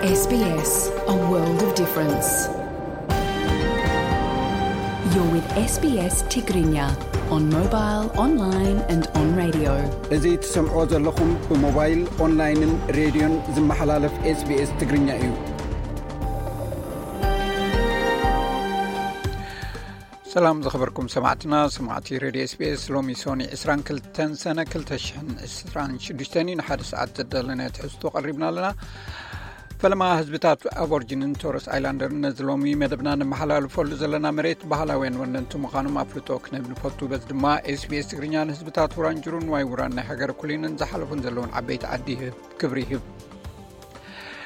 S B S, a world of difference. You're with S B S Tigrinya on mobile, online and on radio. እዚ ትሰምዕዎ ዘለኹም ብሞባይል፣ ኦንላይንን ሬድዮን ዝመሓላለፍ S B S ትግርኛ እዩ። ሰላም ዝኸበርኩም ሰማዕትና፣ ሰማዕቲ ሬድዮ S B S፣ ሎሚ ሶኒ ዕስራን ክልተን ሰነ ክልተ ሽሕን ዕስራን ሽዱሽተን እዩ። ንሓደ ሰዓት ዘዳለናዮ ትሕዝቶ ቀሪብና ኣለና። ፈለማ ህዝብታት ኣቦርጂንን ቶረስ ኣይላንደርን ነዚ ሎሚ መደብና ነመሓላልፈሉ ዘለና መሬት ባህላውያን ወነንቲ ምዃኖም ኣፍልጦ ክነብ ንፈቱ። በዚ ድማ S B S ትግርኛ ንህዝብታት ውራንጅሩን ዋይ ውራን ናይ ሃገር ኩሊንን ዝሓለፉን ዘለውን ዓበይቲ ዓዲ ይህብ፣ ክብሪ ይህብ።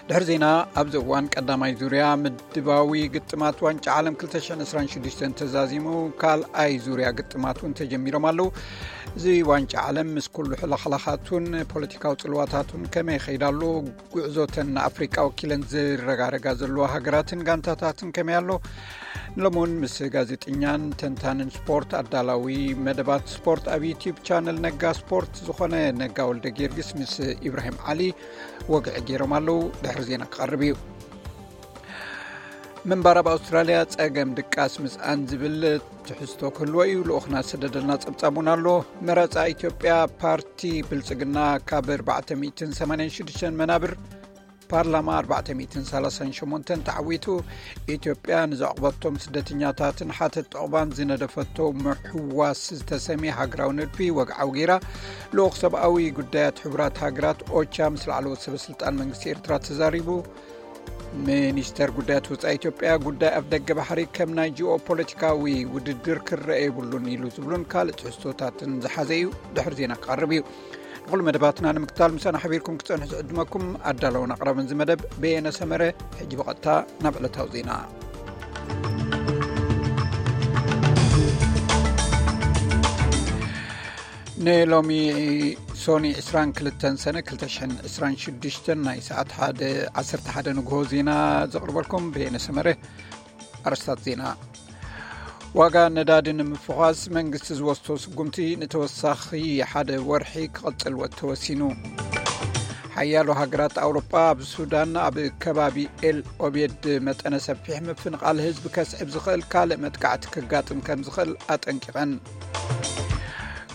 ድሕሪ ዜና፣ ኣብዚ እዋን ቀዳማይ ዙርያ ምድባዊ ግጥማት ዋንጫ ዓለም ክልተ ሽሕን ዕስራን ሽዱሽተን ተዛዚሙ፣ ካልኣይ ዙርያ ግጥማት እውን ተጀሚሮም ኣለዉ። እዚ ዋንጫ ዓለም ምስ ኩሉ ሕልኽላኻቱን ፖለቲካዊ ጽልዋታቱን ከመይ ይኸይድ ኣሎ? ጉዕዞተን ንኣፍሪቃ ወኪለን ዝረጋረጋ ዘለዋ ሃገራትን ጋንታታትን ከመይ ኣሎ? ንሎሚ እውን ምስ ጋዜጠኛን ተንታንን ስፖርት፣ ኣዳላዊ መደባት ስፖርት ኣብ ዩቲዩብ ቻነል ነጋ ስፖርት ዝኾነ ነጋ ወልደ ጊዮርጊስ ምስ ኢብራሂም ዓሊ ወግዒ ገይሮም ኣለዉ። ድሕሪ ዜና ክቐርብ እዩ። ምንባር ኣብ ኣውስትራልያ ጸገም ድቃስ ምስኣን ዝብል ትሕዝቶ ክህልዎ እዩ። ልኡኽና ዝሰደደልና ጸብጻብ እውን ኣሎ። መረጻ ኢትዮጵያ፣ ፓርቲ ብልጽግና ካብ ኣርባዕተ ሚእትን ሰማንያን ሽዱሽተን መናብር ፓርላማ ኣርባዕተ ሚእትን ሰላሳን ሸሞንተን ተዓዊቱ። ኢትዮጵያ ንዘዕቆበቶም ስደተኛታትን ሓተት ዑቕባን ዝነደፈቶ ምሕዋስ ዝተሰምየ ሃገራዊ ንድፊ ወግዓዊ ገይራ። ልኡኽ ሰብኣዊ ጉዳያት ሕቡራት ሃገራት ኦቻ ምስ ላዕለዎት ሰበ ስልጣን መንግስቲ ኤርትራ ተዛሪቡ። ሚኒስተር ጉዳያት ወጻኢ ኢትዮጵያ፣ ጉዳይ ኣፍ ደገ ባሕሪ ከም ናይ ጂኦ ፖለቲካዊ ውድድር ክረአ የብሉን ኢሉ ዝብሉን ካልእ ትሕዝቶታትን ዝሓዘ እዩ። ድሕሪ ዜና ክቐርብ እዩ። ንኹሉ መደባትና ንምክታል ምሳና ሓቢርኩም ክትጸንሑ ዝዕድመኩም ኣዳለውን ኣቕራብን እዚ መደብ በየነ ሰመረ። ሕጂ ብቐጥታ ናብ ዕለታዊ ዜና። ንሎሚ ሶኒ ዕስራን ክልተን ሰነ ክልተ ሽሕን ዕስራን ሽዱሽተን ናይ ሰዓት ሓደ፣ ዓሰርተ ሓደ ንግሆ ዜና ዘቕርበልኩም በየነ ሰመረ። ኣርስታት ዜና። ዋጋ ነዳዲ ንምፍዃስ መንግስቲ ዝወስዶ ስጉምቲ ንተወሳኺ ሓደ ወርሒ ክቕጽል ወ-፣ ተወሲኑ። ሓያሎ ሃገራት ኣውሮጳ ኣብ ሱዳን ኣብ ከባቢ ኤል ኦቤድ መጠነ ሰፊሕ ምፍንቓል ህዝቢ ከስዕብ ዝኽእል ካልእ መጥቃዕቲ ክጋጥም ከም ዝኽእል ኣጠንቂቐን።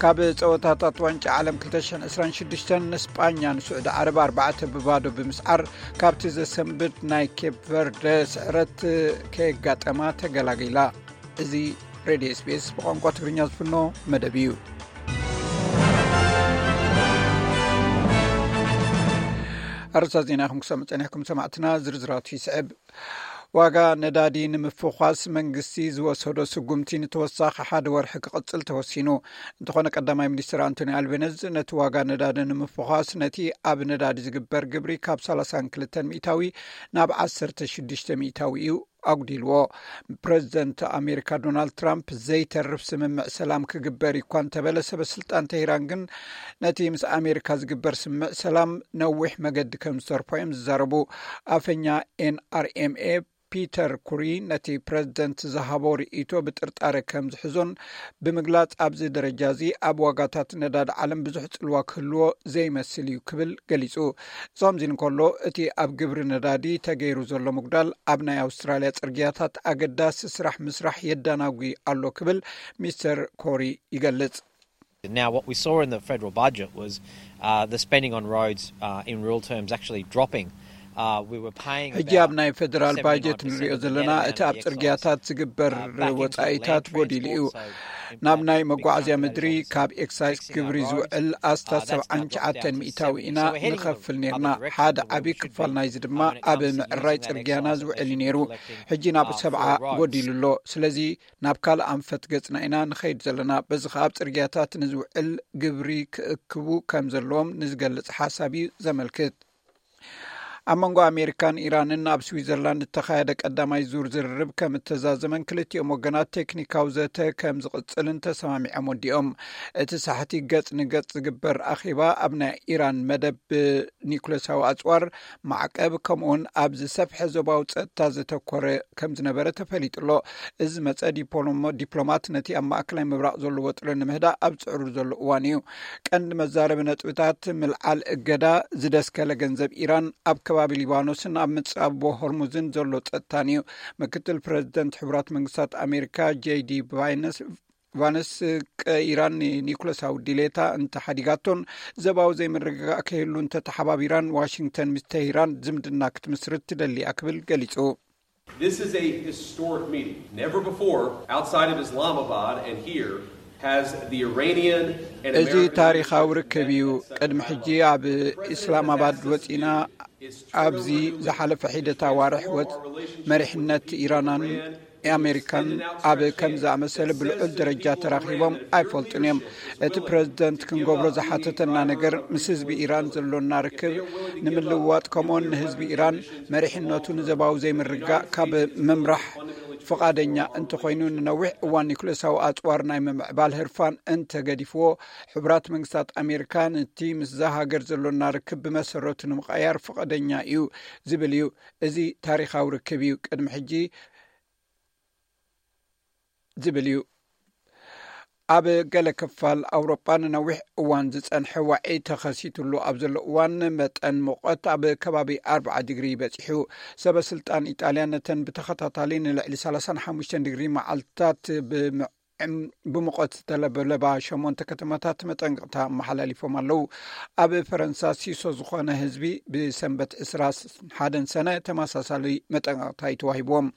ካብ ጸወታታት ዋንጫ ዓለም ክልተ ሽሕን ዕስራን ሽዱሽተን ንስጳኛ ንስዑዲ ዓረብ ኣርባዕተ ብባዶ ብምስዓር ካብቲ ዘሰንብድ ናይ ኬፕ ቨርደ ስዕረት ከየጋጠማ ተገላጊላ። እዚ ሬድዮ S B S ብቋንቋ ትግርኛ ዝፍኖ መደብ እዩ። ኣርእስታት ዜና ኢኹም ክሰምዑ ጸኒሕኩም ሰማዕትና፣ ዝርዝራቱ ይስዕብ። ዋጋ ነዳዲ ንምፍዃስ መንግስቲ ዝወሰዶ ስጉምቲ ንተወሳኺ ሓደ ወርሒ ክቕጽል ተወሲኑ። እንተኾነ ቀዳማይ ሚኒስትር ኣንቶኒ ኣልቤነዝ ነቲ ዋጋ ነዳዲ ንምፍዃስ ነቲ ኣብ ነዳዲ ዝግበር ግብሪ ካብ ሰላሳን ክልተን ሚእታዊ ናብ ዓሰርተ ሽዱሽተ ሚእታዊ እዩ ኣጉዲልዎ። ፕረዚደንት ኣሜሪካ ዶናልድ ትራምፕ ዘይተርፍ ስምምዕ ሰላም ክግበር እዩ እኳ እንተበለ፣ ሰበ ስልጣን ተሂራን ግን ነቲ ምስ ኣሜሪካ ዝግበር ስምምዕ ሰላም ነዊሕ መገዲ ከም ዝተርፎ እዮም ዝዛረቡ። ኣፈኛ N R M A ፒተር ኩሪ ነቲ ፕረዚደንት ዝሃቦ ርእይቶ ብጥርጣረ ከም ዝሕዞን ብምግላጽ፣ ኣብዚ ደረጃ እዚ ኣብ ዋጋታት ነዳዲ ዓለም ብዙሕ ጽልዋ ክህልዎ ዘይመስል እዩ ክብል ገሊጹ። እዚ ከምዚ እንከሎ፣ እቲ ኣብ ግብሪ ነዳዲ ተገይሩ ዘሎ ምጉዳል ኣብ ናይ ኣውስትራልያ ጽርግያታት ኣገዳሲ ስራሕ ምስራሕ የዳናጉ ኣሎ ክብል ሚስተር ኮሪ ይገልጽ። Now, what we saw in the federal budget was, uh, the spending on roads, uh, in real terms actually dropping. Uh, we were paying ሕጂ ኣብ ናይ ፌደራል ባጀት ንሪኦ ዘለና፣ እቲ ኣብ ጽርግያታት ዝግበር ወጻኢታት ጎዲሉ እዩ። ናብ ናይ መጓዓዝያ ምድሪ ካብ ኤክሳይዝ ግብሪ ዝውዕል ኣስታት ሰብዓን ትሽዓተን ሚእታዊ ኢና ንኸፍል ነርና። ሓደ ዓቢ ክፋል ናይዚ ድማ ኣብ ምዕራይ ጽርግያና ዝውዕል እዩ ነይሩ። ሕጂ ናብ ሰብዓ ጎዲሉ ኣሎ። ስለዚ ናብ ካልእ ኣንፈት ገጽና ኢና ንኸይድ ዘለና። በዚ ኸኣ ኣብ ጽርግያታት ንዝውዕል ግብሪ ክእክቡ ከም ዘለዎም ንዝገልጽ ሓሳብ እዩ ዘመልክት። ኣብ መንጎ ኣሜሪካን ኢራንን ኣብ ስዊዘርላንድ እተኻየደ ቀዳማይ ዙር ዝርርብ ከም እተዛዘመን ክልቲኦም ወገናት ቴክኒካዊ ዘተ ከም ዝቕጽልን ተሰማሚዖም ወዲኦም። እቲ ሳሕቲ ገጽ ንገጽ ዝግበር ኣኼባ ኣብ ናይ ኢራን መደብ ኒኩለሳዊ ኣጽዋር ማዕቀብ፣ ከምኡውን ኣብ ዝሰፍሐ ዞባዊ ጸጥታ ዘተኮረ ከም ዝነበረ ተፈሊጡ ኣሎ። እዚ መጸ ዲፕሎሞ-፣ ዲፕሎማት ነቲ ኣብ ማእከላይ ምብራቕ ዘሎ ወጥሪ ንምህዳእ ኣብ ዝጽዕሩ ዘሎ እዋን እዩ። ቀንዲ መዛረቢ ነጥብታት ምልዓል እገዳ፣ ዝደስከለ ገንዘብ ኢራን ኣብ ከባቢ ሊባኖስን ኣብ ምጻቦ ሆርሙዝን ዘሎ ጸጥታን እዩ። ምክትል ፕረዚደንት ሕቡራት መንግስታት ኣሜሪካ ጄዲ ቫይነስ ቫንስ፣ ቀ ኢራን ንኒኩለሳዊ ድሌታ እንተሓዲጋቶን ዘባዊ ዘይምርግጋእ ከይህሉ እንተተሓባቢራን ዋሽንግተን ምስ ተሂራን ዝምድና ክትምስርት ትደሊ እያ ክብል ገሊጹ። This is a historic meeting. Never before, outside of Islamabad and here, has the Iranian and እዚ American ታሪኻዊ leadership ርክብ met እዩ። at such a ቅድሚ high ሕጂ level. ኣብ ኢስላማባድ ወጺና ኣብዚ ዝሓለፈ ሒደት ኣዋርሕ ወጽ መሪሕነት ኢራናን ኣሜሪካን ኣብ ከም ዝኣመሰለ ብልዑል ደረጃ ተራኺቦም ኣይፈልጡን እዮም። እቲ ፕረዚደንት ክንገብሮ ዝሓተተና ነገር ምስ ህዝቢ ኢራን ዘሎና ርክብ ንምልዋጥ፣ ከምኡውን ንህዝቢ ኢራን መሪሕነቱ ንዘባዊ ዘይምርጋእ ካብ ምምራሕ ፍቓደኛ እንተኾይኑ፣ ንነዊሕ እዋን ኒኩለሳዊ ኣጽዋር ናይ ምምዕባል ህርፋን እንተገዲፍዎ፣ ሕቡራት መንግስታት ኣሜሪካ ነቲ ምስዛ ሃገር ዘሎና ርክብ ብመሰረቱ ንምቕያር ፍቓደኛ እዩ ዝብል እዩ። እዚ ታሪኻዊ ርክብ እዩ። ቅድሚ ሕጂ ዝብል እዩ። ኣብ ገለ ክፋል ኣውሮጳ ንነዊሕ እዋን ዝጸንሐ ዋዒ ተኸሲትሉ ኣብ ዘሎ እዋን፣ መጠን ሙቐት ኣብ ከባቢ ኣርብዓ ዲግሪ በጺሑ። ሰበ ስልጣን ኢጣልያ ነተን ብተኸታታሊ ንልዕሊ ሰላሳን ሓሙሽተን ዲግሪ መዓልትታት ብም- ብሙቐት ዝተለበለባ ሸሞንተ ከተማታት መጠንቀቕታ ኣመሓላሊፎም ኣለዉ። ኣብ ፈረንሳ ሲሶ ዝኾነ ህዝቢ ብሰንበት ዕስራ ሓደን ሰነ ተመሳሳሊ መጠንቀቕታ እዩ ተዋሂብዎም።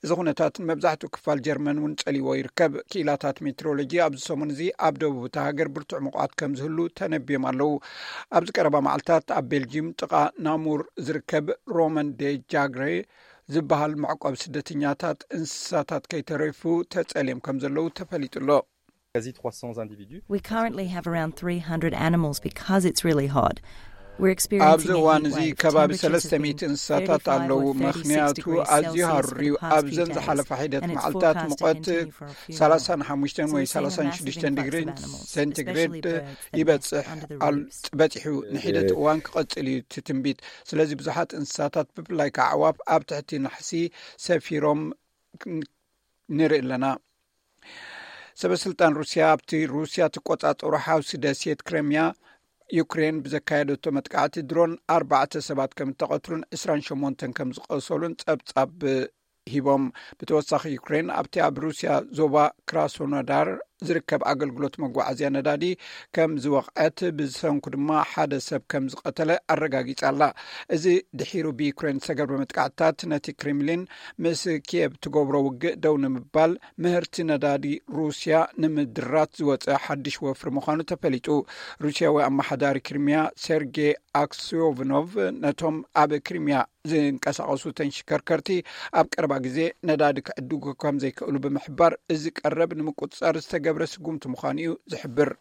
እዚ ኩነታት ንመብዛሕትኡ ክፋል ጀርመን እውን ጸሊዎ ይርከብ። ክኢላታት ሜትሮሎጂ ኣብዚ ሰሙን እዚ ኣብ ደቡብ እታ ሃገር ብርቱዕ ሙቐት ከም ዝህሉ ተነብዮም ኣለዉ። ኣብዚ ቀረባ መዓልታት ኣብ ቤልጂም ጥቓ ናሙር ዝርከብ ሮመን ዴ ጃግሬ ዝበሃል መዕቆብ ስደተኛታት እንስሳታት ከይተረፉ ተጸልዮም ከም ዘለዉ ተፈሊጡ ኣሎ። Quasi trois cents individus. We currently have around three hundred animals because it's really hot. We're experiencing ኣብዚ a እዋን heat እዚ wave. ከባቢ Temperatures have ሰለስተ ሚእቲ been እንስሳታት ኣለዉ። thirty-five, thirty-six ምኽንያቱ degrees ኣዝዩ Celsius for ሃሩር እዩ። the past ኣብዘን few days, ዝሓለፋ ሒደት and it's መዓልታት forecast to ሙቐት continue for a few ሰላሳን months. ሓሙሽተን So ወይ we're seeing a ሰላሳን massive ሽዱሽተን influx ዲግሪ of animals, ሴንቲግሬድ especially birds that nest ይበጽሕ under the ኣል- roofs. በጺሑ ንሒደት እዋን ክቐጽል እዩ እቲ ትንቢት። ስለዚ ብዙሓት እንስሳታት ብፍላይ ከዓ ኣዕዋፍ ኣብ ትሕቲ ናሕሲ ሰፊሮም ንርኢ ኣለና። ሰበ ስልጣን ሩስያ ኣብቲ ሩስያ ትቆጻጸሮ ሓውሲ ደሴት ክሬምያ ዩክሬን ብዘካየደቶ መጥቃዕቲ ድሮን ኣርባዕተ ሰባት ከም እተቐትሉን ዕስራን ሸሞንተን ከም ዝቆሰሉን ጸብጻብ ሂቦም። ብተወሳኺ ዩክሬን ኣብቲ ኣብ ሩስያ ዞባ ክራስኖዳር ዝርከብ ኣገልግሎት መጓዓዝያ ነዳዲ ከም ዝወቕዐት፣ ብሰንኩ ድማ ሓደ ሰብ ከም ዝቐተለ ኣረጋጊጻ ኣላ። እዚ ድሒሩ ብዩክሬን ዝተገብረ መጥቃዕትታት ነቲ ክሬምሊን ምስ ኪየቭ ትገብሮ ውግእ ደው ንምባል ምህርቲ ነዳዲ ሩስያ ንምድራት ዝወጸ ሓድሽ ወፍሪ ምዃኑ ተፈሊጡ። ሩስያዊ ኣመሓዳሪ ክሪምያ ሴርጌ ኣክሲዮቭኖቭ ነቶም ኣብ ክሪምያ ዝንቀሳቐሱ ተንሽከርከርቲ ኣብ ቀረባ ግዜ ነዳዲ ክዕድጉ ከም ዘይክእሉ ብምሕባር፣ እዚ ቀረብ ንምቁጽጻር ዝተገብረ ስጉምቲ ምዃኑ እዩ ዝሕብር።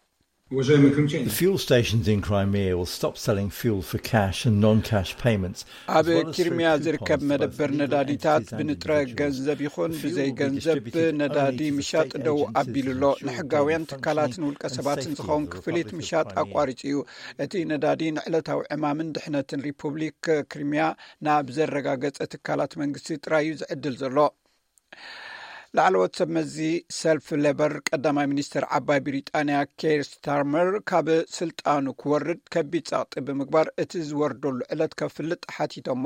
The fuel stations in Crimea will stop selling fuel for cash and non-cash payments. ኣብ ክሪምያ ዝርከብ መደበር ነዳዲታት ብንጥረ ገንዘብ ይኹን ብዘይ ገንዘብ ነዳዲ ምሻጥ ደው ኣቢሉ ኣሎ። ንሕጋውያን ትካላትን ውልቀ ሰባትን ዝኸውን ክፍሊት ምሻጥ ኣቋሪጹ እዩ። እቲ ነዳዲ ንዕለታዊ ዕማምን ድሕነትን ሪፑብሊክ ክሪምያ ናብ ዘረጋገጸ ትካላት መንግስቲ ጥራይ እዩ ዝዕድል ዘሎ። ላዕለዎት ሰብ መዚ ሰልፍ ሌበር ቀዳማይ ሚኒስትር ዓባይ ብሪጣንያ ኬር ስታርመር ካብ ስልጣኑ ክወርድ ከቢድ ጸቕጢ ብምግባር እቲ ዝወርደሉ ዕለት ከፍልጥ ሓቲቶሞ።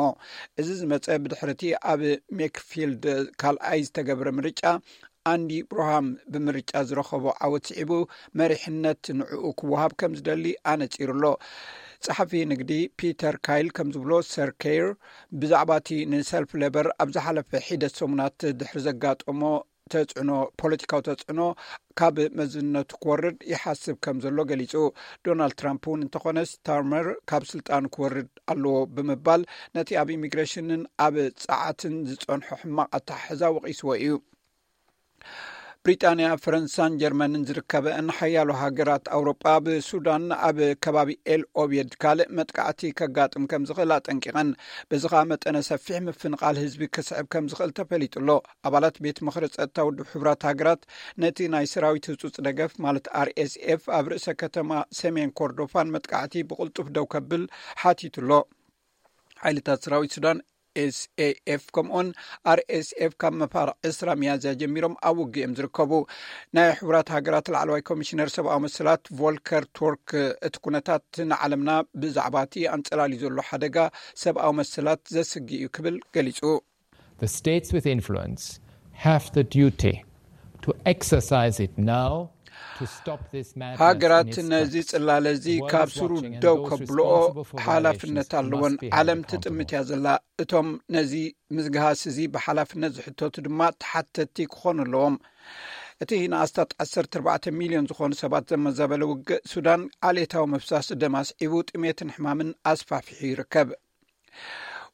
እዚ ዝመጸ ብድሕርቲ ኣብ ሜክፊልድ ካልኣይ ዝተገብረ ምርጫ ኣንዲ ብሩሃም ብምርጫ ዝረኸቦ ዓወት ስዒቡ መሪሕነት ንዕኡ ክወሃብ ከም ዝደሊ ኣነጺሩ ኣሎ። ጸሓፊ ንግዲ ፒተር ካይል ከም ዝብሎ፣ ሰር ኬር ብዛዕባ እቲ ንሰልፍ ሌበር ኣብ ዝሓለፈ ሒደት ሰሙናት ድሕሪ ዘጋጠሞ ተጽዕኖ፣ ፖለቲካዊ ተጽዕኖ ካብ መዝነቱ ክወርድ ይሓስብ ከም ዘሎ ገሊጹ። ዶናልድ ትራምፕ እውን እንተኾነ ስታርመር ካብ ስልጣን ክወርድ ኣለዎ ብምባል ነቲ ኣብ ኢሚግሬሽንን ኣብ ጸዓትን ዝጸንሖ ሕማቕ ኣተሓሕዛ ወቒስዎ እዩ። ብሪጣንያ፣ ፈረንሳን ጀርመንን ዝርከበን ሓያሎ ሃገራት ኣውሮጳ ብሱዳን ኣብ ከባቢ ኤል ኦቤድ ካልእ መጥቃዕቲ ከጋጥም ከም ዝኽእል ኣጠንቂቐን። በዚ ኸኣ መጠነ ሰፊሕ ምፍንቓል ህዝቢ ክስዕብ ከም ዝኽእል ተፈሊጡ ኣሎ። ኣባላት ቤት ምኽሪ ጸጥታ ውድብ ሕቡራት ሃገራት ነቲ ናይ ሰራዊት ህጹጽ ደገፍ ማለት ኣር ኤስ ኤፍ ኣብ ርእሰ ከተማ ሰሜን ኮርዶፋን መጥቃዕቲ ብቕልጡፍ ደው ከብል ሓቲቱ ኣሎ። ሓይልታት ሰራዊት ሱዳን ኤስኤኤፍ ከምኡውን ኣርኤስኤፍ ካብ መፋርቕ ዕስራ ሚያዝያ ጀሚሮም ኣብ ውግእ እዮም ዝርከቡ። ናይ ሕቡራት ሃገራት ላዕለዋይ ኮሚሽነር ሰብኣዊ መሰላት ቮልከር ቱርክ፣ እቲ ኩነታት ንዓለምና ብዛዕባ እቲ ኣንጸላልዩ ዘሎ ሓደጋ ሰብኣዊ መሰላት ዘስግእ እዩ ክብል ገሊጹ። The states with influence have the duty to exercise it now to stop this madness in ሃገራት its ነዚ tracks. ጽላለ እዚ The world ካብ is ስሩ watching and ደው those ከብልኦ responsible for ሓላፍነት violations ኣለወን። must be held ዓለም accountable. ትጥምት እያ ዘላ። እቶም ነዚ ምዝግሃስ እዚ ብሓላፍነት ዝሕተቱ ድማ ተሓተቲ ክኾኑ ኣለዎም። እቲ ንኣስታት ዓሰርተ ኣርባዕተ ሚልዮን ዝኾኑ ሰባት ዘመዛበለ ውግእ ሱዳን ዓሌታዊ ምፍሳስ ደም ኣስዒቡ ጥሜትን ሕማምን ኣስፋፊሑ ይርከብ።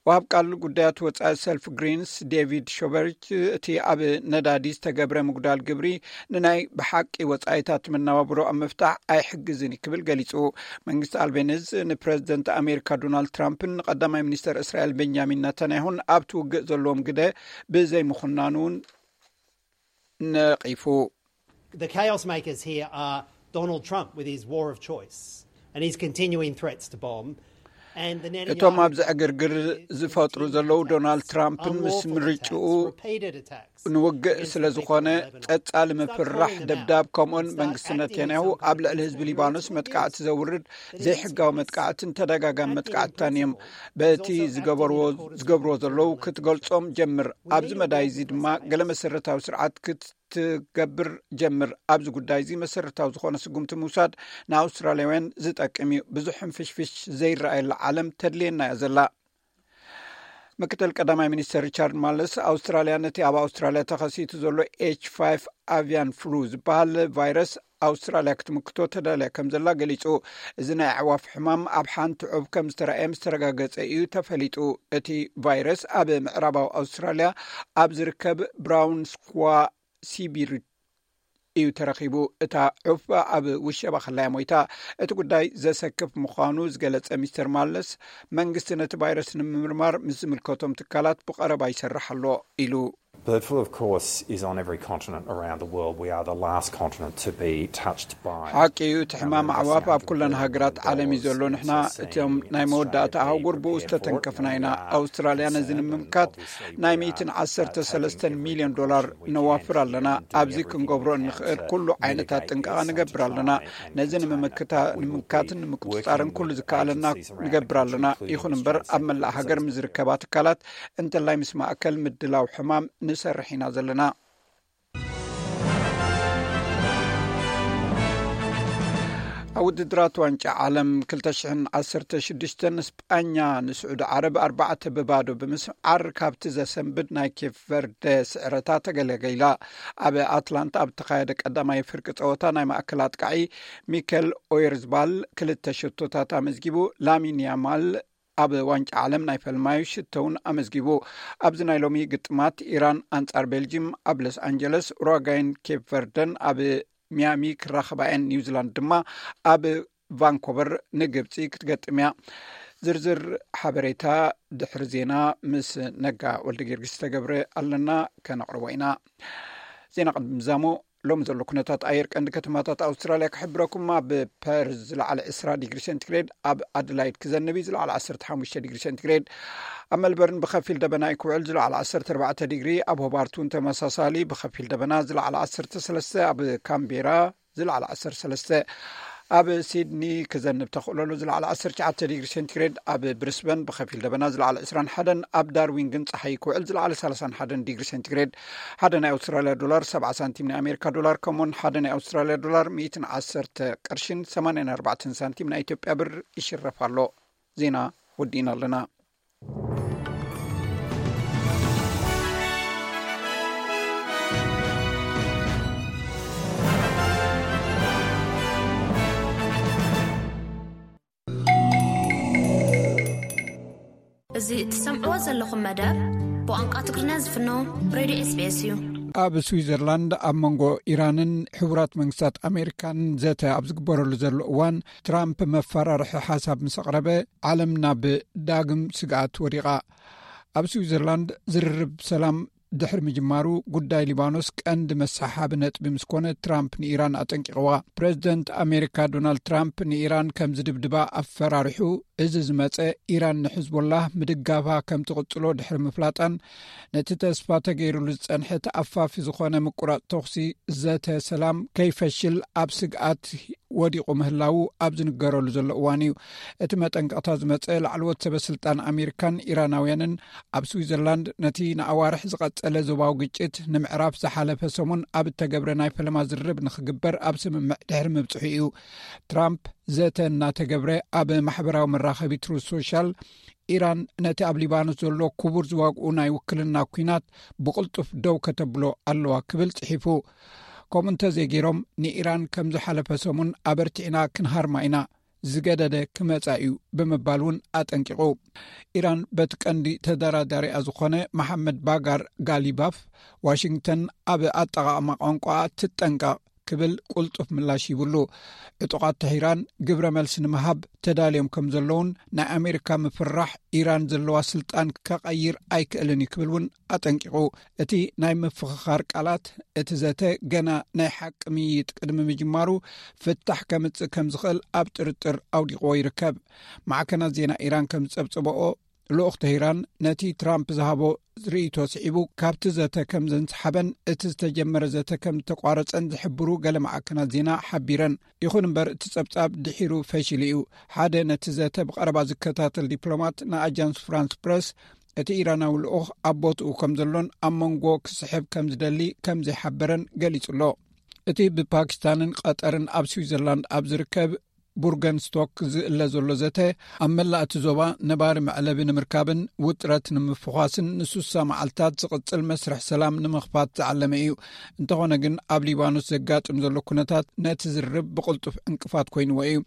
ወሃብ ቃል ጉዳያት ወጻኢ ሰልፍ ግሪንስ ዴቪድ ሾበርች፣ እቲ ኣብ ነዳዲ ዝተገብረ ምጉዳል ግብሪ ንናይ ብሓቂ ወጻኢታት መነባብሮ ኣብ ምፍታሕ ኣይሕግዝን እዩ ክብል ገሊጹ። መንግስቲ ኣልቤኒዝ ንፕረዚደንት ኣሜሪካ ዶናልድ ትራምፕን ንቀዳማይ ሚኒስተር እስራኤል ቤንጃሚን ነታንያሁን ኣብቲ ውግእ ዘለዎም ግደ ብዘይምኹናኑ እውን ነቒፉ። The chaos makers here are Donald Trump with his war of choice and his continuing threats to bomb. And the Netanyahu እቶም ኣብዚ ዕግርግር ዝፈጥሩ ዘለዉ ዶናልድ ትራምፕን ምስ ምርጭኡ ንውግእ ስለ ዝኾነ፣ ቀጻሊ ምፍራሕ ደብዳብ ከምኡን መንግስቲ ነታንያሁ ኣብ ልዕሊ ህዝቢ ሊባኖስ መጥቃዕቲ ዘውርድ ዘይሕጋዊ መጥቃዕትን ተደጋጋሚ መጥቃዕትታን እዮም። በቲ ዝገበርዎ ዝገብርዎ ዘለዉ ክትገልጾም ጀምር። ኣብዚ መዳይ እዚ ድማ ገለ መሰረታዊ ስርዓት ክትገብር ጀምር። ኣብዚ ጉዳይ እዚ መሰረታዊ ዝኾነ ስጉምቲ ምውሳድ ንኣውስትራልያውያን ዝጠቅም እዩ። ብዙሕ ሕንፍሽፍሽ ዘይረኣየላ ዓለም ተድልየና እያ ዘላ። ምክትል ቀዳማይ ሚኒስተር ሪቻርድ ማለስ፣ ኣውስትራልያ ነቲ ኣብ ኣውስትራልያ ተኸሲቱ ዘሎ ኤች ፋይቭ ኣቪያን ፍሉ ዝበሃል ቫይረስ ኣውስትራልያ ክትምክቶ ተዳልያ ከም ዘላ ገሊጹ። እዚ ናይ ኣዕዋፍ ሕማም ኣብ ሓንቲ ዑብ ከም ዝተረኣየ ምስ ተረጋገጸ እዩ ተፈሊጡ። እቲ ቫይረስ ኣብ ምዕራባዊ ኣውስትራልያ ኣብ ዝርከብ ብራውን ስኳ ሲቢር እዩ ተረኺቡ። እታ ዑፍ ኣብ ውሸባ ከላያ ሞይታ። እቲ ጉዳይ ዘሰክፍ ምዃኑ ዝገለጸ ሚስተር ማለስ፣ መንግስቲ ነቲ ቫይረስ ንምምርማር ምስ ዝምልከቶም ትካላት ብቐረባ ይሰርሕ ኣሎ ኢሉ። Bird flu, of course, is on every continent around the world. We are the last continent to be touched by. ሓቂ እዩ፣ እቲ ሕማም ኣዕዋፍ ኣብ ኩለን ሃገራት ዓለም እዩ ዘሎ። ንሕና እቶም ናይ መወዳእታ ኣህጉር ብኡ ዝተተንከፍና ኢና። ኣውስትራልያ ነዚ ንምምካት ናይ ሚእትን ዓሰርተ ሰለስተን ሚልዮን ዶላር ነዋፍር ኣለና። ኣብዚ ክንገብሮ እንኽእል ኩሉ ዓይነታት ጥንቃቐ ንገብር ኣለና። ነዚ ንምምክታ- ንምምካትን ንምቁጽጻርን ኩሉ ዝከኣለና ንገብር ኣለና። ይኹን እምበር ኣብ መላእ ሃገር ምስ ዝርከባ ትካላት እንተላይ ምስ ማእከል ምድላው ሕማም ንሰርሕ ኢና ዘለና። ኣብ ውድድራት ዋንጫ ዓለም ክልተ ሽሕን ዓሰርተ ሽዱሽተን ስጳኛ ንስዑዲ ዓረብ ኣርባዕተ ብባዶ ብምስዓር ካብቲ ዘሰንብድ ናይ ኬፕ ቨርደ ስዕረታ ተገለገላ። ኣብ ኣትላንታ ኣብ ተኻየደ ቀዳማይ ፍርቂ ጸወታ ናይ ማእከል ኣጥቃዒ ሚከል ኦየርዝባል ክልተ ሸቶታት ኣመዝጊቡ። ላሚን ያማል ኣብ ዋንጫ ዓለም ናይ ፈልማዩ ሽቶ እውን ኣመዝጊቡ። ኣብዚ ናይ ሎሚ ግጥማት ኢራን ኣንጻር ቤልጂም ኣብ ሎስ ኣንጀለስ፣ ኡራጋይን ኬፕ ቨርደን ኣብ ሚያሚ ክራኸባ እየን። ኒውዚላንድ ድማ ኣብ ቫንኮቨር ንግብፂ ክትገጥም እያ። ዝርዝር ሓበሬታ ድሕሪ ዜና ምስ ነጋ ወልደ ጊዮርጊስ ዝተገብረ ኣለና፣ ከነቕርቦ ኢና። ዜና ቅድሚ ምዛሙ፣ ሎሚ ዘሎ ኩነታት ኣየር ቀንዲ ከተማታት ኣውስትራልያ ክሕብረኩም። ኣብ ፐርዝ ዝለዓለ ዕስራ ዲግሪ ሴንቲግሬድ፣ ኣብ ኣደላይድ ክዘንብ እዩ፣ ዝለዓለ ዓሰርተ ሓሙሽተ ዲግሪ ሴንቲግሬድ። ኣብ መልበርን ብኸፊል ደበና እዩ ክውዕል፣ ዝለዓለ ዓሰርተ ኣርባዕተ ዲግሪ። ኣብ ሆባርት እውን ተመሳሳሊ ብኸፊል ደበና፣ ዝለዓለ ዓሰርተ ሰለስተ። ኣብ ካምቤራ ዝለዓለ ዓሰርተ ሰለስተ። ኣብ ሲድኒ ክዘንብ ተኽእሎ ኣሎ፣ ዝለዓለ ዓሰርተ ትሽዓተ ዲግሪ ሴንቲግሬድ። ኣብ ብሪስበን ብኸፊል ደበና፣ ዝለዓለ ዕስራን ሓደን። ኣብ ዳርዊን ግን ጸሓይ ክውዕል፣ ዝለዓለ ሰላሳን ሓደን ዲግሪ ሴንቲግሬድ። ሓደ ናይ ኣውስትራልያ ዶላር ሰብዓ ሳንቲም ናይ ኣሜሪካ ዶላር፣ ከምኡውን ሓደ ናይ ኣውስትራልያ ዶላር ሚእትን ዓሰርተ ቅርሽን ሰማንያን ኣርባዕተን ሳንቲም ናይ ኢትዮጵያ ብር ይሽረፍ ኣሎ። ዜና ወዲእና ኣለና። እዚ እትሰምዕዎ ዘለኹም መደብ ብቋንቋ ትግርኛ ዝፍኖ ሬድዮ ኤስቢኤስ እዩ። ኣብ ስዊዘርላንድ ኣብ መንጎ ኢራንን ሕቡራት መንግስታት ኣሜሪካን ዘተ ኣብ ዝግበረሉ ዘሎ እዋን፣ ትራምፕ መፈራርሒ ሓሳብ ምስ ኣቕረበ፣ ዓለም ናብ ዳግም ስግኣት ወዲቓ። ኣብ ስዊዘርላንድ ዝርርብ ሰላም ድሕሪ ምጅማሩ፣ ጉዳይ ሊባኖስ ቀንዲ መሰሓሓቢ ነጥቢ ምስ ኮነ፣ ትራምፕ ንኢራን ኣጠንቂቕዋ። ፕረዚደንት ኣሜሪካ ዶናልድ ትራምፕ ንኢራን ከም ዝድብድባ ኣፈራሪሑ። እዚ ዝመጸ፣ ኢራን ንሕዝቦላህ ምድጋፋ ከም ትቕጽሎ ድሕሪ ምፍላጣን፣ ነቲ ተስፋ ተገይሩሉ ዝጸንሐ ተኣፋፊ ዝኾነ ምቁራጽ ተኹሲ ዘተ ሰላም ከይፈሽል ኣብ ስግኣት ወዲቑ ምህላዉ ኣብ ዝንገረሉ ዘሎ እዋን እዩ። እቲ መጠንቀቕታ ዝመጸ፣ ላዕለዎት ሰበ ስልጣን ኣሜሪካን ኢራናውያንን ኣብ ስዊዘርላንድ ነቲ ንኣዋርሕ ዝቐጸለ ዞባዊ ግጭት ንምዕራፍ ዝሓለፈ ሰሙን ኣብ እተገብረ ናይ ፈለማ ዝርርብ ንኽግበር ኣብ ስምምዕ ድሕሪ ምብጽሑ እዩ። ትራምፕ ዘተ እናተገብረ ኣብ ማሕበራዊ መራኸቢ ትሩዝ ሶሻል፣ ኢራን ነቲ ኣብ ሊባኖስ ዘሎ ክቡር ዝዋግኡ ናይ ውክልና ኲናት ብቕልጡፍ ደው ከተብሎ ኣለዋ ክብል ጽሒፉ። ከምኡ እንተዘይገይሮም፣ ንኢራን ከም ዝሓለፈ ሰሙን ኣበርቲዕና ክንሃርማ ኢና፣ ዝገደደ ክመጻ እዩ ብምባል እውን ኣጠንቂቑ። ኢራን በቲ ቀንዲ ተደራዳሪኣ ዝኾነ መሓመድ ባጋር ጋሊባፍ፣ ዋሽንግተን ኣብ ኣጠቓቕማ ቋንቋ ትጠንቀቕ ክብል ቁልጡፍ ምላሽ ይብሉ። ዕጡቓት ተሂራን ግብረ መልሲ ንምሃብ ተዳልዮም ከም ዘለውን፣ ናይ ኣሜሪካ ምፍራሕ ኢራን ዘለዋ ስልጣን ከቐይር ኣይክእልን እዩ ክብል እውን ኣጠንቂቑ። እቲ ናይ ምፍኽኻር ቃላት፣ እቲ ዘተ ገና ናይ ሓቂ ምይይጥ ቅድሚ ምጅማሩ፣ ፍታሕ ከምጽእ ከም ዝኽእል ኣብ ጥርጥር ኣውዲቕዎ ይርከብ። ማዕከናት ዜና ኢራን ከም ዝጸብጸበኦ፣ ልኡኽ ተሂራን ነቲ ትራምፕ ዝሃቦ ርእይቶ ስዒቡ፣ ካብቲ ዘተ ከም ዘንስሓበን እቲ ዝተጀመረ ዘተ ከም ዝተቋረጸን ዝሕብሩ ገለ ማዕከናት ዜና ሓቢረን። ይኹን እምበር፣ እቲ ጸብጻብ ድሒሩ ፈሺሉ እዩ። ሓደ ነቲ ዘተ ብቐረባ ዝከታተል ዲፕሎማት ንኣጃንስ ፍራንስ ፕረስ፣ እቲ ኢራናዊ ልኡኽ ኣብ ቦትኡ ከም ዘሎን ኣብ መንጎ ክስሕብ ከም ዝደሊ ከም ዘይሓበረን ገሊጹ ኣሎ። እቲ ብፓኪስታንን ቀጠርን ኣብ ስዊዘርላንድ ኣብ ዝርከብ ቡርገንስቶክ ዝእለ ዘሎ ዘተ፣ ኣብ መላእ እቲ ዞባ ነባሪ መዕለቢ ንምርካብን ውጥረት ንምፍዃስን ንስሳ መዓልታት ዝቕጽል መስርሕ ሰላም ንምኽፋት ዝዓለመ እዩ። እንተኾነ ግን፣ ኣብ ሊባኖስ ዘጋጥም ዘሎ ኩነታት ነቲ ዝርርብ ብቕልጡፍ ዕንቅፋት ኮይንዎ እዩ።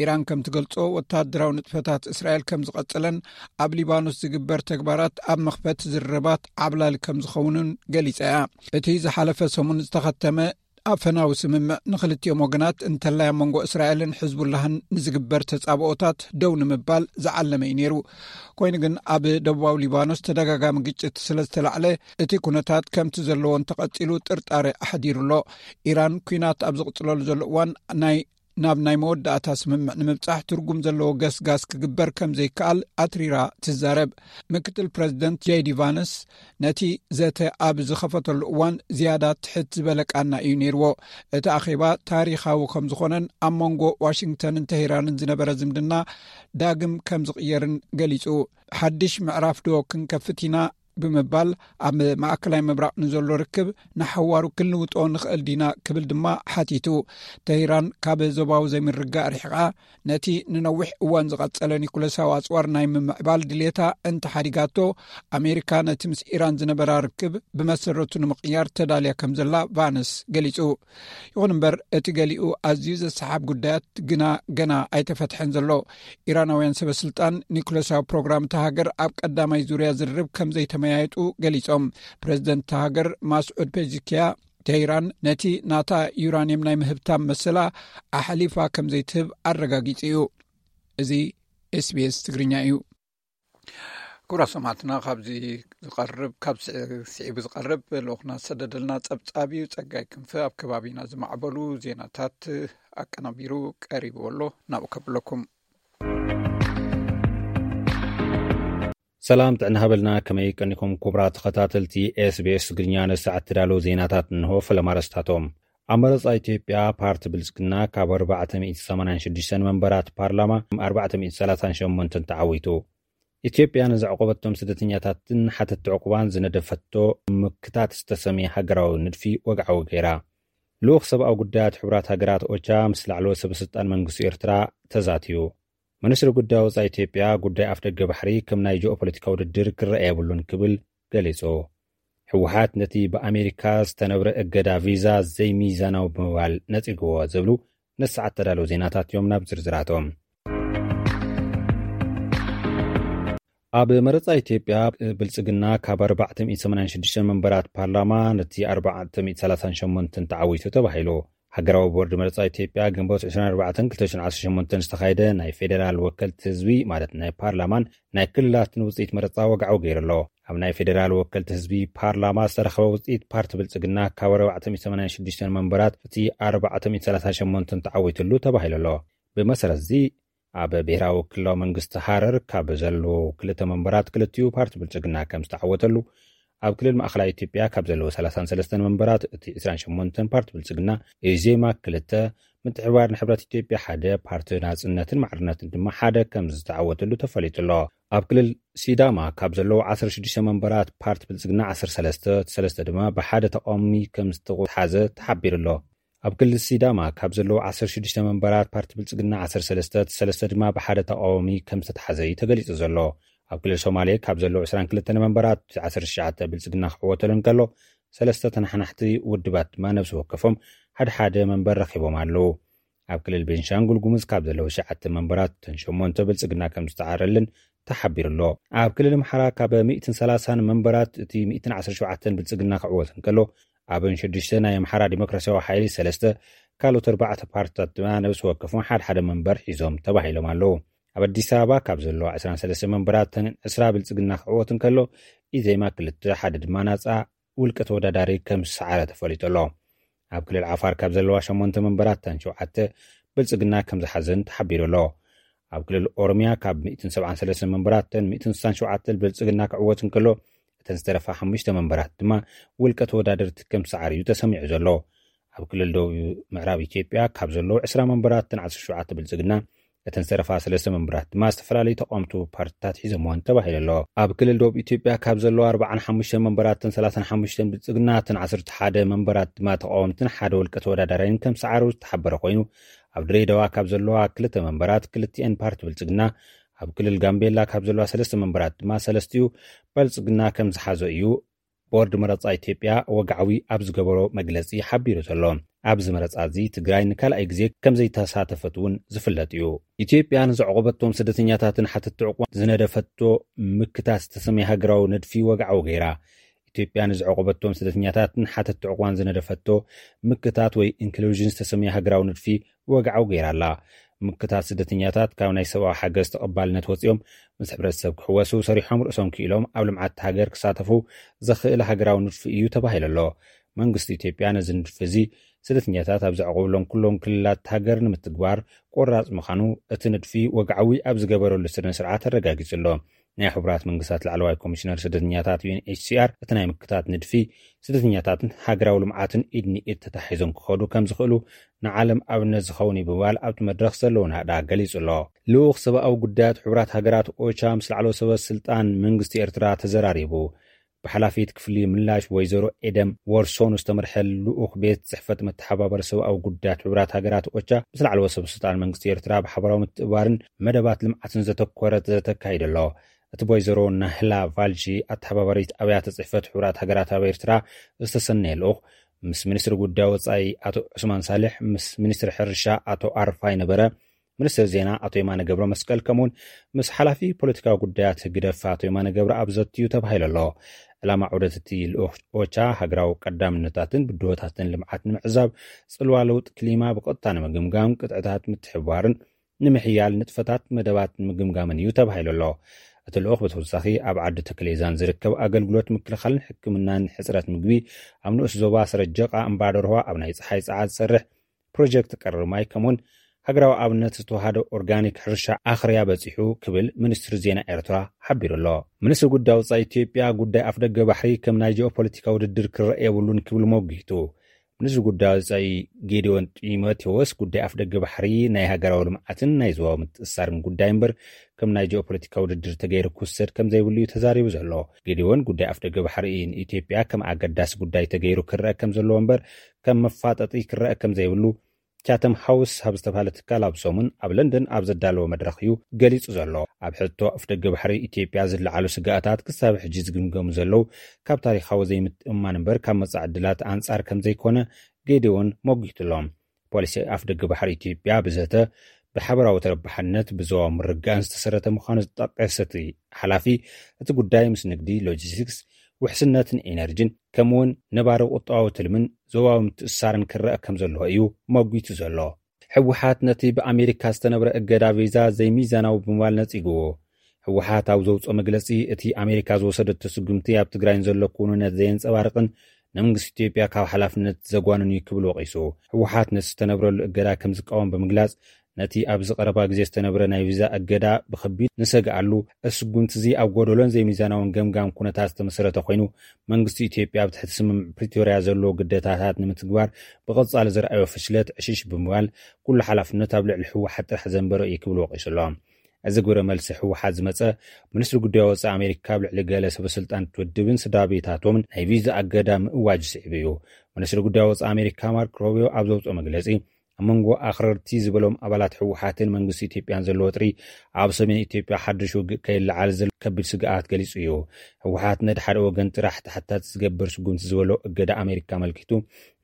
ኢራን ከም ትገልጾ፣ ወተሃደራዊ ንጥፈታት እስራኤል ከም ዝቐጸለን፣ ኣብ ሊባኖስ ዝግበር ተግባራት ኣብ መኽፈቲ ዝርርባት ዓብላሊ ከም ዝኸውንን ገሊጻ እያ። እቲ ዝሓለፈ ሰሙን ዝተኸተመ ኣፈናዊ ስምምዕ፣ ንኽልቲኦም ወገናት፣ እንተላይ ኣብ መንጎ እስራኤልን ሕዝቡላህን ንዝግበር ተጻብኦታት ደው ንምባል ዝዓለመ እዩ ነይሩ። ኮይኑ ግን፣ ኣብ ደቡባዊ ሊባኖስ ተደጋጋሚ ግጭት ስለ ዝተላዕለ፣ እቲ ኩነታት ከምቲ ዘለዎ እንተቐጺሉ ጥርጣረ ኣሕዲሩ ኣሎ። ኢራን፣ ኲናት ኣብ ዝቕጽለሉ ዘሎ እዋን፣ ናይ ናብ ናይ መወዳእታ ስምምዕ ንምብጻሕ ትርጉም ዘለዎ ገስጋስ ክግበር ከም ዘይከኣል ኣትሪራ ትዛረብ። ምክትል ፕረዚደንት ጄዲ ቫንስ፣ ነቲ ዘተ ኣብ ዝኸፈተሉ እዋን ዝያዳ ትሕት ዝበለ ቃና እዩ ነይርዎ። እቲ ኣኼባ ታሪኻዊ ከም ዝኾነን ኣብ መንጎ ዋሽንግተንን ተሄራንን ዝነበረ ዝምድና ዳግም ከም ዝቕየርን ገሊጹ። ሓድሽ ምዕራፍ ዶ ክንከፍት ኢና? ብምባል፣ ኣብ ማእከላይ ምብራቕ ንዘሎ ርክብ ንሓዋሩ ክንልውጦ ንኽእል ዲና ክብል ድማ ሓቲቱ። ተሂራን ካብ ዞባዊ ዘይምርግጋእ ርሒቓ፣ ነቲ ንነዊሕ እዋን ዝቐጸለ ኒኩለሳዊ ኣጽዋር ናይ ምምዕባል ድሌታ እንተሓዲጋቶ፣ ኣሜሪካ ነቲ ምስ ኢራን ዝነበራ ርክብ ብመሰረቱ ንምቕያር ተዳልያ ከም ዘላ ቫንስ ገሊጹ። ይኹን እምበር፣ እቲ ገሊኡ ኣዝዩ ዘሰሓብ ጉዳያት ግና ገና ኣይተፈትሐን ዘሎ። ኢራናውያን ሰበ ስልጣን ኒኩለሳዊ ፕሮግራም እታ ሃገር ኣብ ቀዳማይ ዙርያ ዝርርብ ከም ዘይተመያየጡ ገሊጾም። ፕረዚደንት እታ ሃገር ማስዑድ ፔዚኪያ፣ ተሂራን ነቲ ናታ ዩራኒየም ናይ ምህብታም መሰላ ኣሕሊፋ ከም ዘይትህብ ኣረጋጊጹ እዩ። እዚ ኤስቢኤስ ትግርኛ እዩ። ክቡራት ሰማዕትና፣ ካብዚ ዝቐርብ፣ ካብ ስዒቡ ዝቐርብ ልኡኽና ዝሰደደልና ጸብጻብ እዩ። ጸጋይ ክንፈ ኣብ ከባቢና ዝማዕበሉ ዜናታት ኣቀናቢሩ ቀሪብዎ ኣሎ። ናብኡ ከብለኩም። ሰላም ጥዕና ሃበልና፣ ከመይ ቀኒኹም ክቡራት ተኸታተልቲ ኤስቢኤስ ትግርኛ? ንሰዓት ተዳለዉ ዜናታት እንሆ። ፈለማ ኣርእስታቶም። ኣብ መረጻ ኢትዮጵያ ፓርቲ ብልጽግና ካብ ኣርባዕተ ሚእቲ ሰማንያን ሽዱሽተን መንበራት ፓርላማ ኣርባዕተ ሚእቲ ሰላሳን ሸሞንተን ተዓዊቱ። ኢትዮጵያ ንዘዕቆበቶም ስደተኛታትን ሓተቲ ዕቑባን ዝነደፈቶ ምክታት ዝተሰምየ ሃገራዊ ንድፊ ወግዓዊ ገይራ። ልኡኽ ሰብኣዊ ጉዳያት ሕቡራት ሃገራት ኦቻ ምስ ላዕለዎት ሰበ ስልጣን መንግስቲ ኤርትራ ተዛትዩ። ሚኒስትሪ ጉዳይ ወጻኢ ኢትዮጵያ ጉዳይ ኣፍደገ ባሕሪ ከም ናይ ጂኦፖለቲካ ውድድር ክረኣ የብሉን ክብል ገሊጹ። ህወሓት ነቲ ብኣሜሪካ ዝተነብረ እገዳ ቪዛ ዘይሚዛናዊ ብምባል ነጺግዎ ዝብሉ ነሰዓት ተዳለዉ ዜናታት እዮም። ናብ ዝርዝራቶም። ኣብ መረጻ ኢትዮጵያ ብልጽግና ካብ ኣርባዕተ ሚእቲ ሰማንያን ሽዱሽተ መንበራት ፓርላማ ነቲ ኣርባዕተ ሚእቲ ሰላሳን ሸሞንተን ተዓዊቱ ተባሂሉ። ሃገራዊ ቦርድ መረጻ ኢትዮጵያ ግንቦት ዕስራን ኣርባዕተን ክልተ ሽሕን ዓሰርተ ሸሞንተን ዝተኻየደ ናይ ፌደራል ወከልቲ ህዝቢ፣ ማለት ናይ ፓርላማን ናይ ክልላትን ውጽኢት መረጻ ወግዓዊ ገይሩ ኣሎ። ኣብ ናይ ፌደራል ወከልቲ ህዝቢ ፓርላማ ዝተረኸበ ውጽኢት፣ ፓርቲ ብልጽግና ካብ ኣርባዕተ ሚእቲ ሰማንያን ሽዱሽተን መንበራት እቲ ኣርባዕተ ሚእቲ ሰላሳን ሸሞንተን ተዓዊትሉ ተባሂሉ ኣሎ። ብመሰረት እዚ፣ ኣብ ብሔራዊ ክልላዊ መንግስቲ ሃረር ካብ ዘለዉ ክልተ መንበራት ክልቲኡ ፓርቲ ብልጽግና ከም ዝተዓወተሉ፣ ኣብ ክልል ማእኸላይ ኢትዮጵያ ካብ ዘለዉ ሰላሳን ሰለስተን መንበራት እቲ ዕስራን ሸሞንተን ፓርቲ ብልጽግና፣ ኢዜማ ክልተ፣ ምትሕብባር ንሕብረት ኢትዮጵያ ሓደ፣ ፓርቲ ናጽነትን ማዕርነትን ድማ ሓደ ከም ዝተዓወተሉ ተፈሊጡ ኣሎ። ኣብ ክልል ሲዳማ ካብ ዘለዉ ዓሰርተ ሽዱሽተ መንበራት ፓርቲ ብልጽግና ዓሰርተ ሰለስተ፣ እቲ ሰለስተ ድማ ብሓደ ተቃዋሚ ከም ዝተሓዘ ተሓቢሩ ኣሎ። ኣብ ክልል ሲዳማ ካብ ዘለዉ ዓሰርተ ሽዱሽተ መንበራት ፓርቲ ብልጽግና ዓሰርተ ሰለስተ፣ እቲ ሰለስተ ድማ ብሓደ ተቃዋሚ ከም ዝተታሕዘ እዩ ተገሊጹ ዘሎ። ኣብ ክልል ሶማሌ ካብ ዘለዉ ዕስራን ክልተን መንበራት ዓሰርተ ትሽዓተ ብልጽግና ክዕወተሉ እንከሎ፣ ሰለስተ ተናሓናሕቲ ውድባት ድማ ነብሲ ወከፎም ሓደ ሓደ መንበር ረኺቦም ኣለዉ። ኣብ ክልል ቤንሻንጉል ጉሙዝ ካብ ዘለዉ ትሽዓተ መንበራት እተን ሸሞንተ ብልጽግና ከም ዝተዓረልን ተሓቢሩ ኣሎ። ኣብ ክልል ኣምሓራ ካብ ሚእትን ሰላሳን መንበራት እቲ ሚእትን ዓሰርተ ሸውዓተን ብልጽግና ክዕወት እንከሎ፣ ኣብን ሽዱሽተ ናይ ኣምሓራ ዲሞክራሲያዊ ሓይሊ ሰለስተ፣ ካልኦት ኣርባዕተ ፓርትታት ድማ ነብሲ ወከፎም ሓደ ሓደ መንበር ሒዞም ተባሂሎም ኣለዉ። ኣብ ኣዲስ ኣበባ ካብ ዘለዋ ዕስራን ሰለስተ መንበራት እተን ዕስራ ብልጽግና ክዕወት እንከሎ፣ ኢዜማ ክልተ፣ ሓደ ድማ ናጻ ውልቀ ተወዳዳሪ ከም ዝሰዓረ ተፈሊጡ ኣሎ። ኣብ ክልል ዓፋር ካብ ዘለዋ ሸሞንተ መንበራት እተን ሸውዓተ ብልጽግና ከም ዝሓዘን ተሓቢሩ ኣሎ። ኣብ ክልል ኦሮምያ ካብ ሚእትን ሰብዓን ሰለስተን መንበራት እተን ሚእትን ስሳን ሸውዓተን ብልጽግና ክዕወት እንከሎ፣ እተን ዝተረፋ ሓሙሽተ መንበራት ድማ ውልቀ ተወዳደርቲ ከም ዝሰዓር እዩ ተሰሚዑ ዘሎ። ኣብ ክልል ደቡብ ምዕራብ ኢትዮጵያ ካብ ዘለዉ ዕስራ መንበራት እተን ዓሰርተ ሸውዓተ ብልጽግና፣ እተን ዝተረፋ ሰለስተ መንበራት ድማ ዝተፈላለዩ ተቃወምቲ ፓርትታት ሒዘምወን ተባሂሉ ኣሎ። ኣብ ክልል ደቡብ ኢትዮጵያ ካብ ዘለዋ ኣርባዓን ሓሙሽተን መንበራት እተን ሰላሳን ሓሙሽተን ብልጽግና፣ እተን ዓሰርተ ሓደ መንበራት ድማ ተቃወምትን ሓደ ውልቀ ተወዳዳራይን ከም ሰዓሩ ዝተሓበረ ኮይኑ፣ ኣብ ድሬዳዋ ካብ ዘለዋ ክልተ መንበራት ክልቲኤን ፓርቲ ብልጽግና፣ ኣብ ክልል ጋምቤላ ካብ ዘለዋ ሰለስተ መንበራት ድማ ሰለስቲኡ ብልጽግና ከም ዝሓዞ እዩ ቦርድ መረጻ ኢትዮጵያ ወግዓዊ ኣብ ዝገበሮ መግለጺ ሓቢሩ ዘሎ። ኣብዚ መረጻ እዚ ትግራይ ንካልኣይ ግዜ ከም ዘይተሳተፈት እውን ዝፍለጥ እዩ። ኢትዮጵያ ንዘዕቆበቶም ስደተኛታትን ሓተትቲ ዕቑባን ዝነደፈቶ ምክታት ዝተሰመየ ሃገራዊ ንድፊ ወግዓዊ ገይራ። ኢትዮጵያ ንዘዕቆበቶም ስደተኛታትን ሓተትቲ ዕቑባን ዝነደፈቶ ምክታት ወይ ኢንክሉዥን ዝተሰመየ ሃገራዊ ንድፊ ወግዓዊ ገይራ ኣላ። ምክታት ስደተኛታት ካብ ናይ ሰብኣዊ ሓገዝ ተቐባልነት ወጺኦም ምስ ሕብረተሰብ ክሕወሱ፣ ሰሪሖም ርእሶም ክኢሎም ኣብ ልምዓት ሃገር ክሳተፉ ዘኽእል ሃገራዊ ንድፊ እዩ ተባሂሉ ኣሎ። መንግስቲ ኢትዮጵያ ነዚ ንድፊ እዚ ስደተኛታት ኣብ ዘዕቆብሎም ኩሎም ክልላት ሃገር ንምትግባር ቆራጽ ምዃኑ፣ እቲ ንድፊ ወግዓዊ ኣብ ዝገበረሉ ስነ ስርዓት ኣረጋጊጹ ኣሎ። ናይ ሕቡራት መንግስታት ላዕለዋይ ኮሚሽነር ስደተኛታት፣ ዩ ኤን ኤች ሲ ኣር፣ እቲ ናይ ምክታት ንድፊ ስደተኛታትን ሃገራዊ ልምዓትን ኢድ ንኢድ ተታሒዞም ክኸዱ ከም ዝኽእሉ ንዓለም ኣብነት ዝኸውን እዩ ብምባል ኣብቲ መድረኽ ዘለዎ ናእዳ ገሊጹ ኣሎ። ልኡኽ ሰብኣዊ ጉዳያት ሕቡራት ሃገራት ኦቻ ምስ ላዕለዎት ሰበ ስልጣን መንግስቲ ኤርትራ ተዘራሪቡ። ብሓላፊት ክፍሊ ምላሽ ወይዘሮ ኤደም ወርሶኑ ዝተመርሐ ልኡኽ ቤት ጽሕፈት መተሓባበሪ ሰብኣዊ ጉዳያት ሕቡራት ሃገራት ኦቻ ምስ ላዕለዎት ሰበ ስልጣን መንግስቲ ኤርትራ ብሓበራዊ ምትእባርን መደባት ልምዓትን ዘተኮረ ዘተ ኣካይዱ ኣሎ። እቲ ብወይዘሮ ናህላ ቫልጂ ኣተሓባባሪት ኣብያተ ጽሕፈት ሕቡራት ሃገራት ኣብ ኤርትራ ዝተሰነየ ልኡኽ ምስ ሚኒስትሪ ጉዳይ ወጻኢ ኣቶ ዑስማን ሳልሕ፣ ምስ ሚኒስትሪ ሕርሻ ኣቶ ኣርፋይ ነበረ፣ ሚኒስትሪ ዜና ኣቶ የማነ ገብረ መስቀል፣ ከምኡውን ምስ ሓላፊ ፖለቲካዊ ጉዳያት ህግደፍ ኣቶ የማነ ገብረኣብ ዘትዩ ተባሂሉ ኣሎ። ዕላማ ዑደት እቲ ልኡኽ ኦቻ ሃገራዊ ቀዳምነታትን ብድሆታትን ልምዓት ንምዕዛብ፣ ጽልዋ ለውጢ ክሊማ ብቐጥታ ንምግምጋም፣ ቅጥዕታት ምትሕብባርን ንምሕያል ንጥፈታት መደባት ንምግምጋምን እዩ ተባሂሉ ኣሎ። እቲ ልኡኽ ብተወሳኺ ኣብ ዓዲ ተክሌዛን ዝርከብ ኣገልግሎት ምክልኻልን ሕክምናን ሕጽረት ምግቢ፣ ኣብ ንኡስ ዞባ ሰረጀቓ እምባደርሆ ኣብ ናይ ጸሓይ ጸዓት ዝሰርሕ ፕሮጀክት ቀረብ ማይ፣ ከምኡውን ሃገራዊ ኣብነት ዝተዋሃደ ኦርጋኒክ ሕርሻ ኣኽርያ በጺሑ ክብል ሚኒስትሪ ዜና ኤርትራ ሓቢሩ ኣሎ። ሚኒስትሪ ጉዳይ ወጻኢ ኢትዮጵያ ጉዳይ ኣፍደገ ባሕሪ ከም ናይ ጂኦፖለቲካ ውድድር ክረአ የብሉን ክብል ሞጊቱ። ሚኒስትሪ ጉዳይ ወጻኢ ጌዲዮን ጢሞቴዎስ ጉዳይ ኣፍደገ ባሕሪ ናይ ሃገራዊ ልምዓትን ናይ ዞባዊ ምትእስሳርን ጉዳይ እምበር ከም ናይ ጂኦፖለቲካ ውድድር ተገይሩ ክውሰድ ከም ዘይብሉ እዩ ተዛሪቡ ዘሎ። ጌዲዮን ጉዳይ ኣፍደገ ባሕሪ ንኢትዮጵያ ከም ኣገዳሲ ጉዳይ ተገይሩ ክረአ ከም ዘለዎ እምበር ከም መፋጠጢ ክረአ ከም ዘይብሉ ቻተም ሃውስ ኣብ ዝተባህለ ትካል ኣብ ሰሙን ኣብ ለንደን ኣብ ዘዳለዎ መድረኽ እዩ ገሊጹ ዘሎ። ኣብ ሕቶ ኣፍደገ ባሕሪ ኢትዮጵያ ዝለዓሉ ስግኣታት ክሳብ ሕጂ ዝግምገሙ ዘለዉ ካብ ታሪኻዊ ዘይምትእምማን እምበር ካብ መጻኢ ዕድላት ኣንጻር ከም ዘይኮነ ጌዲዮን ሞጊቱ ኣሎ። ፖሊሲ ኣፍደገ ባሕሪ ኢትዮጵያ ብዘተ፣ ብሓበራዊ ተረባሕነት፣ ብዞባዊ ምርግጋእን ዝተሰረተ ምዃኑ ዝጠቀሰ እቲ ሓላፊ፣ እቲ ጉዳይ ምስ ንግዲ፣ ሎጂስቲክስ፣ ውሕስነትን ኤነርጂን፣ ከምኡውን ነባሪ ቁጠባዊ ትልምን ዞባዊ ምትእስሳርን ክረአ ከም ዘለዎ እዩ መጒቱ ዘሎ። ህወሓት ነቲ ብኣሜሪካ ዝተነብረ እገዳ ቪዛ ዘይሚዛናዊ ብምባል ነጺግዎ። ህወሓት ኣብ ዘውፅኦ መግለፂ፣ እቲ ኣሜሪካ ዝወሰደቶ ስጉምቲ ኣብ ትግራይ ንዘሎ ክውንነት ዘየንፀባርቕን ንመንግስቲ ኢትዮጵያ ካብ ሓላፍነት ዘጓንን እዩ ክብል ወቒሱ። ህወሓት ነቲ ዝተነብረሉ እገዳ ከም ዝቃወም ብምግላፅ፣ ነቲ ኣብዚ ቀረባ ግዜ ዝተነብረ ናይ ቪዛ እገዳ ብኸቢድ ንሰግኣሉ። እዚ ስጉምቲ እዚ ኣብ ጎደሎን ዘይሚዛናውን ገምጋም ኩነታት ዝተመሰረተ ኮይኑ፣ መንግስቲ ኢትዮጵያ ኣብ ትሕቲ ስምምዕ ፕሪቶርያ ዘለዎ ግዴታታት ንምትግባር ብቐጻሊ ዘርኣዮ ፍሽለት ዕሽሽ ብምባል፣ ኩሉ ሓላፍነት ኣብ ልዕሊ ህወሓት ጥራሕ ዘንበረ እዩ ክብል ወቒሱ ኣሎ። እዚ ግብረ መልሲ ህወሓት ዝመጸ፣ ሚኒስትሪ ጉዳይ ወጻኢ ኣሜሪካ ኣብ ልዕሊ ገለ ሰበስልጣን ውድብን ስድራ ቤታቶምን ናይ ቪዛ እገዳ ምእዋጅ ስዒቡ እዩ። ሚኒስትሪ ጉዳይ ወጻኢ ኣሜሪካ ማርክ ሮቢዮ ኣብ ዘውፅኦ መግለጺ፣ ኣብ መንጎ ኣኽረርቲ ዝበሎም ኣባላት ህወሓትን መንግስቲ ኢትዮጵያን ዘሎ ወጥሪ፣ ኣብ ሰሜን ኢትዮጵያ ሓድሽ ውግእ ከይለዓል ዘሎ ከቢድ ስግኣት ገሊጹ እዩ። ህወሓት ነቲ ሓደ ወገን ጥራሕ ተሓታቲ ዝገብር ስጉምቲ ዝበሎ እገዳ ኣሜሪካ ኣመልኪቱ፣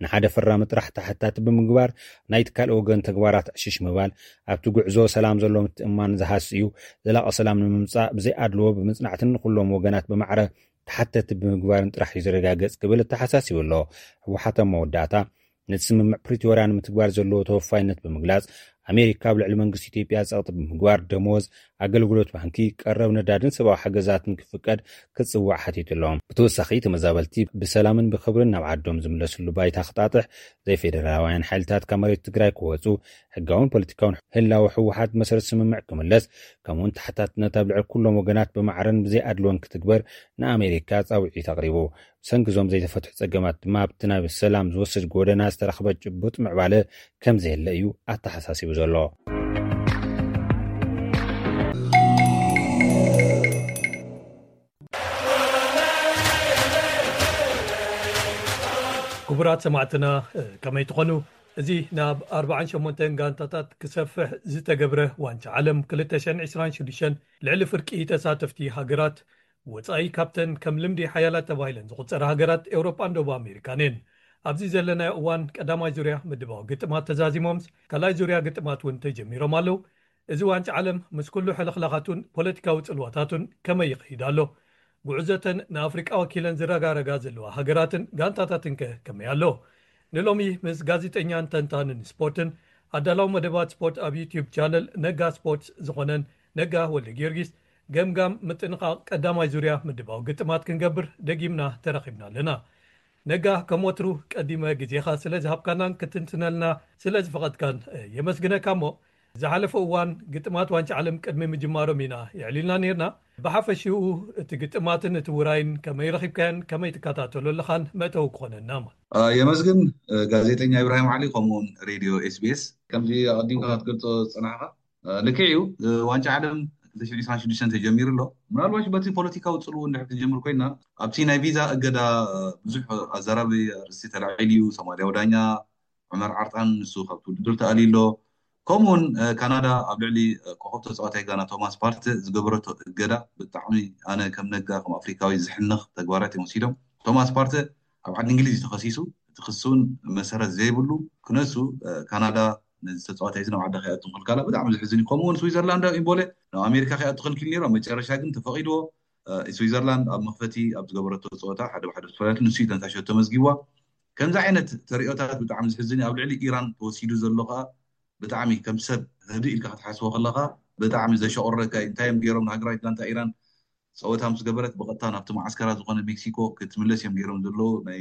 ንሓደ ፈራሚ ጥራሕ ተሓታቲ ብምግባር፣ ናይቲ ካልእ ወገን ተግባራት ዕሽሽ ምባል፣ ኣብቲ ጉዕዞ ሰላም ዘሎ ምትእምማን ዝሃሲ እዩ። ዘላቒ ሰላም ንምምጻእ ብዘይ ኣድልዎ ብምጽናዕትን ንኹሎም ወገናት ብማዕረ ተሓተቲ ብምግባርን ጥራሕ እዩ ዝረጋገጽ ክብል ኣተሓሳሲቡ ኣሎ። ህወሓት ኣብ መወዳእታ፣ ነቲ ስምምዕ ፕሪቶርያ ንምትግባር ዘለዎ ተወፋይነት ብምግላጽ፣ ኣሜሪካ ኣብ ልዕሊ መንግስቲ ኢትዮጵያ ጸቕጢ ብምግባር፣ ደሞዝ፣ ኣገልግሎት ባንኪ፣ ቀረብ ነዳድን ሰብኣዊ ሓገዛትን ክፍቀድ ክጽዋዕ ሓቲቱ ኣሎ። ብተወሳኺ፣ ተመዛበልቲ ብሰላምን ብኽብርን ናብ ዓዶም ዝምለስሉ ባይታ ክጣጥሕ፣ ዘይፌደራላውያን ሓይልታት ካብ መሬት ትግራይ ክወጹ፣ ሕጋውን ፖለቲካውን ህላወ ህወሓት መሰረት ስምምዕ ክምለስ፣ ከምኡውን ተሓታትነት ኣብ ልዕሊ ኩሎም ወገናት ብማዕረን ብዘይ ኣድልዎን ክትግበር ንኣሜሪካ ጻውዒት ኣቕሪቡ። ብሰንኪ እዞም ዘይተፈትሑ ጸገማት ድማ ኣብቲ ናብ ሰላም ዝወስድ ጎደና ዝተረኽበ ጭቡጥ ምዕባለ ከም ዘየለ እዩ ኣተሓሳሲቡ ዘሎ። ክቡራት ሰማዕትና፣ ከመይ ትኾኑ? እዚ ናብ ኣርባዓን ሸሞንተን ጋንታታት ክሰፍሕ ዝተገብረ ዋንጫ ዓለም ክልተ ሽሕን ዕስራን ሽዱሽተን ልዕሊ ፍርቂ ተሳተፍቲ ሃገራት፣ ወጻኢ ካብተን ከም ልምዲ ሓያላት ተባሂለን ዝቑጸራ ሃገራት ኤውሮጳን ደቡብ ኣሜሪካን እየን። ኣብዚ ዘለናዮ እዋን ቀዳማይ ዙርያ ምድባዊ ግጥማት ተዛዚሞምስ ካልኣይ ዙርያ ግጥማት እውን ተጀሚሮም ኣለዉ። እዚ ዋንጫ ዓለም ምስ ኩሉ ሕልኽላኻቱን ፖለቲካዊ ጽልዋታቱን ከመይ ይኸይድ ኣሎ? ጉዕዞተን ንኣፍሪቃ ወኪለን ዝረጋረጋ ዘለዋ ሃገራትን ጋንታታትን ከ ከመይ ኣሎ? ንሎሚ ምስ ጋዜጠኛን ተንታንን ስፖርትን ኣዳላዊ መደባት ስፖርት ኣብ ዩትዩብ ቻነል ነጋ ስፖርትስ ዝኾነን ነጋ ወልደ ጊዮርጊስ ገምጋም ምጥንቓቕ ቀዳማይ ዙርያ ምድባዊ ግጥማት ክንገብር ደጊምና ተረኺብና ኣለና። ነጋ፣ ከም ወትሩ ቀዲመ ግዜኻ ስለ ዝሃብካናን ክትንትነልና ስለ ዝፈቐድካን የመስግነካ። እሞ ዝሓለፈ እዋን ግጥማት ዋንጫ ዓለም ቅድሚ ምጅማሮም ኢና የዕሊልና ነይርና። ብሓፈሽኡ እቲ ግጥማትን እቲ ውራይን ከመይ ረኺብካዮን ከመይ ትከታተሎ ኣለኻን መእተዊ ክኾነና። የመስግን ጋዜጠኛ ኢብራሂም ዓሊ ከምኡውን ሬድዮ ኤስቢኤስ። ከምዚ ኣቐዲምካ ክትገልጾ ዝጸናሕካ ልክዕ እዩ። ዋንጫ ዓለም ክልተ ሽሕን ዕስራን ሽዱሽተን ተጀሚሩ ኣሎ። ምናልባሽ በቲ ፖለቲካዊ ጽልው እንድሕር ክንጀምር ኮይና፣ ኣብቲ ናይ ቪዛ እገዳ ብዙሕ ኣዘራቢ ኣርእስቲ ተላዒሉ እዩ። ሶማልያዊ ዳኛ ዑመር ዓርጣን ንሱ ካብቲ ውድድር ተኣልዩ ኣሎ። ከምኡውን ካናዳ ኣብ ልዕሊ ኮኸብ ተጻዋታይ ጋና ቶማስ ፓርተ ዝገበረቶ እገዳ ብጣዕሚ ኣነ ከም ነጋ ከም ኣፍሪካዊ ዝሕንኽ ተግባራት እዮም ወሲዶም። ቶማስ ፓርተ ኣብ ዓዲ እንግሊዝ እዩ ተኸሲሱ። እቲ ክሲ እውን መሰረት ዘይብሉ ክነሱ ካናዳ ነዚ ተጻዋታይ እዚ ናብ ዓዳ ከይኣቱ ምኽልካላ ብጣዕሚ ዘሕዝን እዩ። ከምኡ እውን ስዊዘርላንዳዊ ኢምቦለ ናብ ኣሜሪካ ከይኣቱ ክልኪል ነይሩ። ኣብ መጨረሻ ግን ተፈቒድዎ። ስዊዘርላንድ ኣብ መኽፈቲ ኣብ ዝገበረቶ ፀወታ ሓደ ብሓደ ዝተፈለለት ንሱ እዩ ተንታሸቶ መዝጊብዋ። ከምዚ ዓይነት ተሪኦታት ብጣዕሚ ዘሕዝን እዩ። ኣብ ልዕሊ ኢራን ተወሲዱ ዘሎ ከዓ ብጣዕሚ ከም ሰብ ህድእ ኢልካ ክትሓስቦ ከለካ ብጣዕሚ ዘሸቆረካ እዩ። እንታይ እዮም ገይሮም ንሃገራዊት ጋንታ ኢራን ፀወታ ምስ ገበረት ብቐጥታ ናብቲ መዓስከራ ዝኾነ ሜክሲኮ ክትምለስ እዮም ገይሮም ዘለዉ ናይ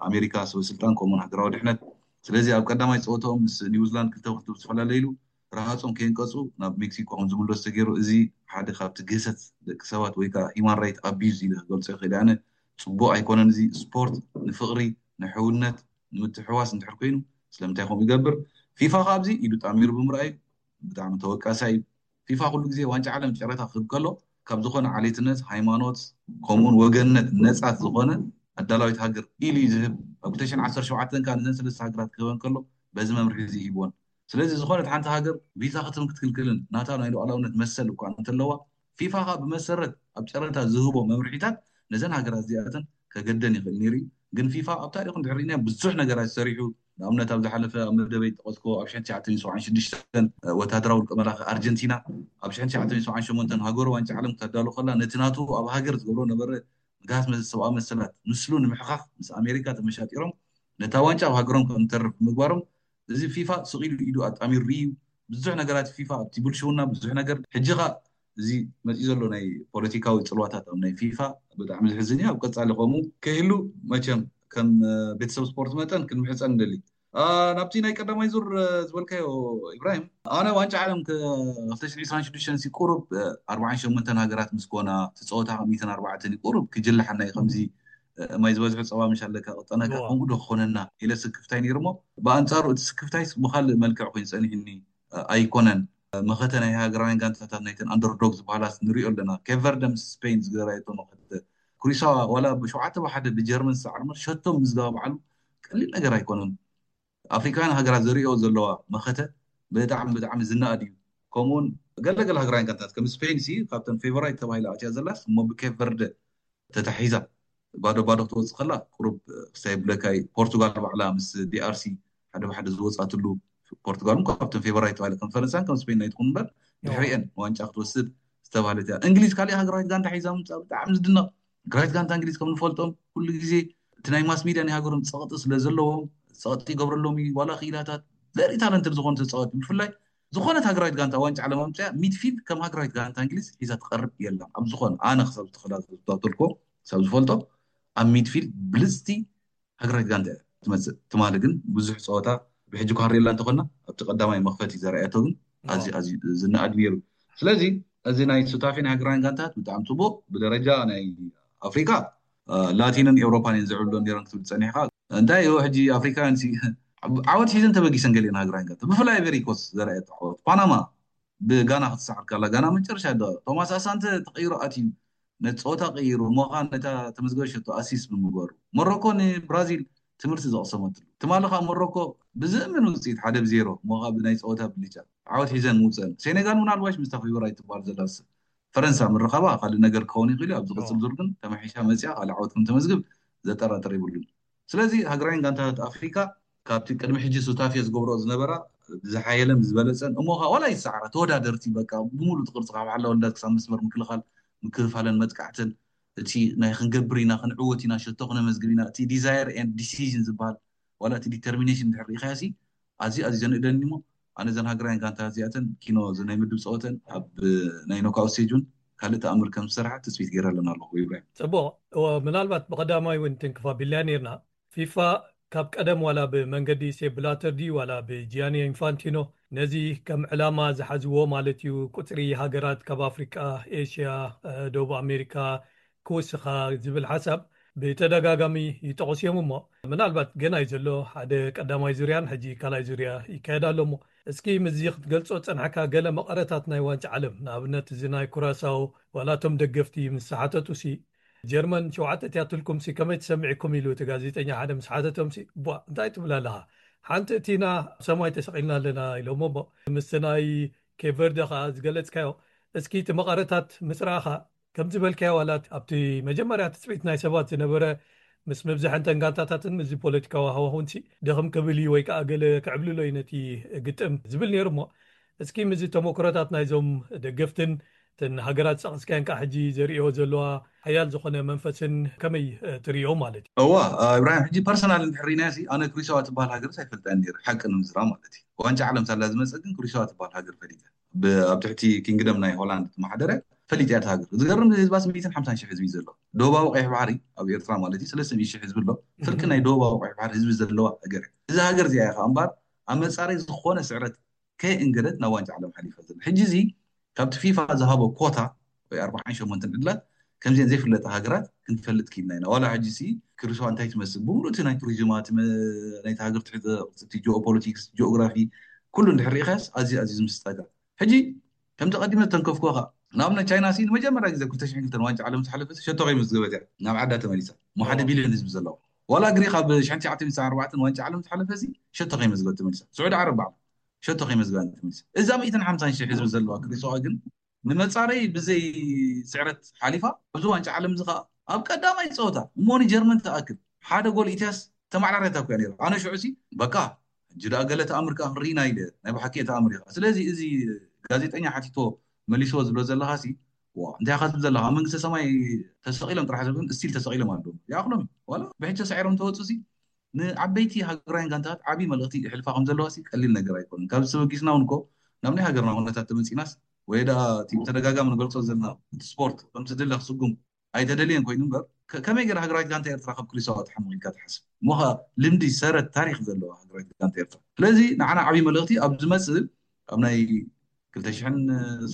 ኣሜሪካ ሰበስልጣን ከምኡውን ሃገራዊ ድሕነት። ስለዚ ኣብ ቀዳማይ ፀወታኦም ምስ ኒውዚላንድ ክልተ ብክልተ ብዝተፈላለይሉ ረሃፆም ከየንቀፁ ናብ ሜክሲኮ ከም ዝምለሱ ተገይሩ። እዚ ሓደ ካብቲ ግህሰት ደቂ ሰባት ወይ ከዓ ሂማን ራይት ኣቢዩዝ ኢለ ክገልፆ ይኽእል ኣነ። ፅቡቅ ኣይኮነን። እዚ ስፖርት ንፍቅሪ ንሕውነት ንምትሕዋስ እንድሕር ኮይኑ ስለምንታይ ከምኡ ይገብር? ፊፋ ካብዚ ኢዱ ጣሚሩ ብምርኣዩ ብጣዕሚ ተወቃሳይ እዩ። ፊፋ ኩሉ ግዜ ዋንጫ ዓለም ጨረታ ክህብ ከሎ ካብ ዝኾነ ዓሌትነት፣ ሃይማኖት ከምኡውን ወገንነት ነፃት ዝኾነ ኣዳላዊት ሃገር ኢሉ እዩ ዝህብ። ኣብ ክልተ ሽሕን ዓሰርተ ሸውዓተን ከዓ ነዘን ሰለስተ ሃገራት ክህበን ከሎ በዚ መምርሒ እዚ ሂብወን። ስለዚ ዝኾነት ሓንቲ ሃገር ቪዛ ክትህብን ክትክልክልን ናታ ናይ ሉዓላውነት መሰል እኳ እንተለዋ፣ ፊፋ ከዓ ብመሰረት ኣብ ጨረታ ዝህቦ መምርሒታት ነዘን ሃገራት እዚኣተን ከገደን ይኽእል ነይሩ እዩ። ግን ፊፋ ኣብ ታሪኹ እንድሕር ርኢናዮ ብዙሕ ነገራት ሰሪሑ። ንኣብነት ኣብ ዝሓለፈ ኣብ መደበይ ጠቐስኮ ኣብ ሽሕን ትሽዓተ ሚእትን ሰብዓን ሽዱሽተን ወታደራዊ ውልቀ መላኺ ኣርጀንቲና ኣብ ሽሕን ትሽዓተ ሚእትን ሰብዓን ሸሞንተን ሃገሩ ዋንጫ ዓለም ክተዳሉ ከላ ነቲ ናቱ ኣብ ሃገር ዝገብሮ ነበረ ምግሃስ ሰብኣዊ መሰላት ምስሉ ንምሕኻኽ ምስ ኣሜሪካ ተመሻጢሮም ነታ ዋንጫ ኣብ ሃገሮም ከም ተርፍ ብምግባሮም እዚ ፊፋ ስቕ ኢሉ ኢዱ ኣጣሚሩ እዩ። ብዙሕ ነገራት ፊፋ ኣብቲ ብልሽውና ብዙሕ ነገር ሕጂ ኸ እዚ መፂኡ ዘሎ ናይ ፖለቲካዊ ፅልዋታት ኣብ ናይ ፊፋ ብጣዕሚ ዝሕዝን እዩ። ኣብ ቀፃሊ ከምኡ ከይህሉ መቸም ከም ቤተሰብ ስፖርት መጠን ክንምሕፀን ንደሊ። ናብቲ ናይ ቀዳማይ ዙር ዝበልካዮ፣ ኢብራሂም፣ ኣነ ዋንጫ ዓለም ክልተ ሽሕን ዕስራን ሽዱሽተን ቁሩብ ኣርባዓን ሸሞንተን ሃገራት ምስ ኮና፣ ትፀወታ ሚእትን ኣርባዕተን ቁሩብ ክጅልሓና እዩ። ከምዚ ማይ ዝበዝሑ ፀባ ምሽ ኣለካ ቅጠነካ፣ ከምኡ ዶ ክኾነና ኢለ ስክፍታይ ነይሩ። እሞ ብኣንፃሩ እቲ ስክፍታይ ብካልእ መልክዕ ኮይኑ ፀኒሕኒ ኣይኮነን። መኸተ ናይ ሃገራውያን ጋንታታት፣ ናይተን ኣንደርዶግ ዝበሃላ ንሪኦ ኣለና። ኬቨርደ ምስ ስፔን ዝገራየቶ መኸተ፣ ኩሪሳዋ ዋላ ብሸውዓተ ብሓደ ብጀርመን ዝሰዓር ሸቶ ምዝጋብ ባዕሉ ቀሊል ነገር ኣይኮነን። ኣፍሪካውያን ሃገራት ዘሪኦ ዘለዋ መኸተ ብጣዕሚ ብጣዕሚ ዝነኣድ እዩ። ከምኡውን ገለገለ ሃገራውያን ጋንታት ከም ስፔን ሲ ካብተን ፌቨራይት ተባሂላ ኣትያ ዘላስ እሞ ብኬቨርደ ተታሒዛ ባዶ ባዶ ክትወፅእ ከላ ቁሩብ ክሳይ ብለካይ። ፖርቱጋል ባዕላ ምስ ዲኣርሲ ሓደ ብሓደ ዝወፃትሉ፣ ፖርቱጋል እውን ካብተን ፌቨራይት ተባሂለ ከም ፈረንሳን ከም ስፔን ናይትኹን እምበር ድሕሪአን ዋንጫ ክትወስድ ዝተባህለት እያ። እንግሊዝ ካሊእ ሃገራዊት ጋንታ ሒዛ ምምፃእ ብጣዕሚ ዝድነቕ። ሃገራዊት ጋንታ እንግሊዝ ከም ንፈልጦም ኩሉ ግዜ እቲ ናይ ማስ ሚድያ ናይ ሃገሮም ፀቕጢ ስለ ዘለዎም ፀቕጢ ይገብረሎም እዩ። ዋላ ክኢላታት ቨሪ ታለንትድ ዝኾኑ ተፃወቲ ብፍላይ ዝኾነት ሃገራዊት ጋንታ ዋንጫ ዓለም ኣምፅያ ሚድፊልድ ከም ሃገራዊት ጋንታ እንግሊዝ ሒዛ ትቐርብ የላን። ኣብ ዝኾነ ኣነ ክሳብ ዝተኸታተልኮ ክሳብ ዝፈልጦ ኣብ ሚድፊልድ ብልፅቲ ሃገራዊት ጋንታ እያ ትመፅእ። ትማሊ ግን ብዙሕ ፀወታ ብሕጂ ኳሪ የላ እንተኾና ኣብቲ ቀዳማይ መኽፈቲ ዘርኣየቶ ግን ኣዝዩ ኣዝዩ ዝነኣድ ነይሩ። ስለዚ እዚ ናይ ሱታፌ ናይ ሃገራውያን ጋንታት ብጣዕሚ ፅቡቅ። ብደረጃ ናይ ኣፍሪካ ላቲንን ኤውሮፓን እየን ዝዕብሎ ነይረን ክትብል ፀኒሕካ። እንታይ እዩ ሕጂ ኣፍሪካውያን ዓወት ሒዘን ተበጊሰን ገሊአን ሃገራውያን ጋንታ፣ ብፍላይ ኣይቨሪ ኮስት ዘርኣየቶ ዓወት። ፓናማ ብጋና ክትሰዓር ከላ፣ ጋና መጨረሻ ደ ቶማስ ኣሳንተ ተቀይሩ ኣትዩ ነቲ ፀወታ ቀይሩ ሞኻ ነታ ተመዝገበ ሸቶ ኣሲስ ብምግባሩ፣ ሞሮኮ ንብራዚል ትምህርቲ ዘቕሰመትሉ። ትማሊ ከዓ ሞሮኮ ብዘእምን ውፅኢት ሓደ ብዜሮ ሞኻ ብናይ ፀወታ ብልጫ ዓወት ሒዘን ምውፀን። ሴኔጋል ምናልባሽ ምስታ ፌቨራይት ትበሃል ዘላ ፈረንሳ ምርኻባ ካልእ ነገር ክኸውን ይኽእል እዩ። ኣብ ዝቕፅል ዙር ግን ተመሒሻ መፅያ ካልእ ዓወት ከም ተመዝግብ ዘጠራጥር የብሉን። ስለዚ ሃገራውያን ጋንታታት ኣፍሪካ ካብቲ ቅድሚ ሕጂ ሱታፌ ዝገብሮ ዝነበራ ብዝሓየለን ብዝበለፀን እሞ ከዓ ዋላ ይሰዓራ ተወዳደርቲ በቃ ብምሉእ እቲ ቅርፂ ካብ ሓላ ወልዳት ክሳብ መስመር ምክልኻል ምክፍፋለን መጥቃዕትን እቲ ናይ ክንገብር ኢና ክንዕወት ኢና ሸቶ ክነመዝግብ ኢና እቲ ዲዛየር ኤንድ ዲሲዥን ዝበሃል ዋላ እቲ ዲተርሚኔሽን ድሕር ሪኢኻዮ ሲ ኣዝዩ ኣዝዩ ዘንእደኒ እሞ ኣነ ዘን ሃገራውያን ጋንታታት እዚኣተን ኪኖ ናይ ምድብ ፀወተን ኣብ ናይ ኖካውት ስቴጅ እውን ካልእ ተኣምር ከም ዝሰርሓ ትፅቢት ገይረ ኣለና ኣለኹ። ኢብራሂም። ፅቡቕ። ምናልባት ብቐዳማይ እውን ትንክፍ ኣቢልና ነርና። ፊፋ ካብ ቀደም ዋላ ብመንገዲ ሴፕ ብላተር ድዩ ዋላ ብጂያኒ ኢንፋንቲኖ ነዚ ከም ዕላማ ዝሓዝዎ ማለት እዩ፣ ቁፅሪ ሃገራት ካብ ኣፍሪቃ፣ ኤሽያ፣ ደቡብ ኣሜሪካ ክውስኻ ዝብል ሓሳብ ብተደጋጋሚ ይጠቕሱ እዮም። እሞ ምናልባት ገና እዩ ዘሎ ሓደ ቀዳማይ ዙርያን ሕጂ ካልኣይ ዙርያ ይካየድ ኣሎ። እሞ እስኪ ምስዚ ክትገልጾ ዝጸናሕካ ገለ መቐረታት ናይ ዋንጫ ዓለም፣ ንኣብነት እዚ ናይ ኩራሳው ዋላ እቶም ደገፍቲ ምስ ሓተቱ ሲ ጀርመን ሸውዓተ እቲኣትልኩም ሲ ከመይ ትሰምዕኩም ኢሉ እቲ ጋዜጠኛ ሓደ ምስ ሓተቶም ሲ ቧ እንታይ ትብል ኣለኻ? ሓንቲ እቲና ኣብ ሰማይ ተሰቒልና ኣለና ኢሎሞ። እሞ ምስቲ ናይ ኬፕ ቨርደ ከኣ ዝገለጽካዮ እስኪ እቲ መቐረታት ምስ ረኣኻ ከም ዝበልካዮ ዋላ ኣብቲ መጀመርያ ትጽቢት ናይ ሰባት ዝነበረ ምስ ምብዛሕንተን ጋንታታትን ምስዚ ፖለቲካዊ ሃዋሁን ሲ ድኽም ክብል እዩ ወይ ከዓ ገለ ክዕብልሎ እዩ ነቲ ግጥም ዝብል ነይሩ። እሞ እስኪ ምስዚ ተመክሮታት ናይዞም ደገፍትን እተን ሃገራት ዝጠቐስካየን ከዓ ሕጂ ዘርእዮ ዘለዋ ሓያል ዝኾነ መንፈስን ከመይ ትርእዮ ማለት እዩ? እዋ፣ ኢብራሂም፣ ሕጂ ፐርሰናል እንድሕር ርኢናዮ ሲ ኣነ ክሪሳዋ ትበሃል ሃገርስ ኣይፈልጣን ነይረ፣ ሓቂ ንምዝራብ ማለት እዩ። ዋንጫ ዓለም ሳላ ዝመፀ ግን ክሪሳዋ ትበሃል ሃገር ፈሊጠ። ብ- ኣብ ትሕቲ ኪንግደም ናይ ሆላንድ ትመሓደረ ፈሊጥ እያ እታ ሃገር። ዝገርም ህዝባ ሚእትን ሓምሳን ሺሕ ህዝቢ እዩ ዘሎ። ደቡባዊ ቀይሕ ባሕሪ ኣብ ኤርትራ ማለት እዩ ሰለስተ ሚእቲ ሺሕ ህዝቢ ኣሎ። ፍርቂ ናይ ደቡባዊ ቀይሕ ባሕሪ ህዝቢ ዘለዋ ሃገር እያ። እዛ ሃገር እዚኣ እያ ከዓ እምበኣር ኣብ መፃረይ ዝኾነ ስዕረት ከየእንገደት ናብ ዋንጫ ዓለም ሓሊፋ ዘላ። ሕጂ እዚ ካብቲ ፊፋ ዝሃቦ ኮታ ወይ ኣርባዓን ሸሞንተን ዕድላት ከምዚአን ዘይፍለጣ ሃገራት ክንፈልጥ ክኢልና ኢና። ዋላ ሕጂ ሲ ክሪስዋ እንታይ ትመስል ብምሉእ እቲ ናይ ቱሪዝማ እቲ መ- ናይቲ ሃገር ትሕተ ቅርፂ እቲ ጂኦፖለቲክስ ጂኦግራፊ ኩሉ እንድሕር ርኢኻስ ኣዝዩ ኣዝዩ ዝምስጠካ። ሕጂ ከምቲ ቀዲመ ዝተንከፍኩኻ ንኣብነት ቻይና ሲ ንመጀመርያ ግዜ ክልተ ሽሕን ክልተን ዋንጫ ዓለም ዝሓለፈ ሲ ሸቶ ከይመዝገበት እያ ናብ ዓዳ ተመሊሳ። እሞ ሓደ ቢልዮን ህዝቢ ዘለዋ ዋላ ግሪክ ኣብ ሽሕን ትሽዓተ ሚእትን ኣርባዕተን ዋንጫ ዓለም ዝሓለፈ ሲ ሸቶ ከይመዝገበት ተመሊሳ። ስዑዲ ዓረብ ባዕላ ሸቶ ከይመዝገባ ተመሊሳ። እዛ ሚእትን ሓምሳን ሺሕ ህዝቢ ዘለዋ ክሪስዋ ግን ንመፃረይ ብዘይ ስዕረት ሓሊፋ ኣብዚ ዋንጫ ዓለም እዚ ከዓ ኣብ ቀዳማይ ፀወታ እሞ ንጀርመን ትኣክል ሓደ ጎል ኢትያስ ተማዕራርያታ እኮ እያ ነይራ። ኣነ ሽዑ ሲ በቃ ሕጂ ደኣ ገለ ተኣምር ከዓ ክንርኢ ኢና ኢለ ናይ ብሓቂ እየ ተኣምር ኢኻ። ስለዚ እዚ ጋዜጠኛ ሓቲቶ መሊስዎ ዝብሎ ዘለኻ ሲ ዋ እንታይ ኢኻ ትብል ዘለኻ? ኣብ መንግስተ ሰማይ ተሰቒሎም ጥራሕ ዘብን እስቲል ተሰቒሎም ኣለዉ ይኣኽሎም እዩ። ዋላ ብሕጂ ተሳዒሮም ተወፁ ሲ ንዓበይቲ ሃገራውያን ጋንታታት ዓብዪ መልእኽቲ ይሕልፋ ከም ዘለዋ ሲ ቀሊል ነገር ኣይኮነን። ካብዚ ተበጊስና እውን እኮ ናብ ናይ ሃገርና ኩነታት ተመፂናስ ወይ ደኣ እቲ ብተደጋጋሚ ንገልፆ ዘለና እቲ ስፖርት ከምቲ ድለ ክስጉም ኣይተደልየን ኮይኑ እምበር ከመይ ገይራ ሃገራዊት ጋንታ ኤርትራ ካብ ክሪሳኦ ትሓምቕ ኢልካ ትሓስብ? እሞ ኸኣ ልምዲ፣ ሰረት፣ ታሪኽ ዘለዋ ሃገራዊት ጋንታ ኤርትራ። ስለዚ ንዓና ዓብዪ መልእኽቲ ኣብ ዝመጽእ፣ ኣብ ናይ ክልተ ሽሕን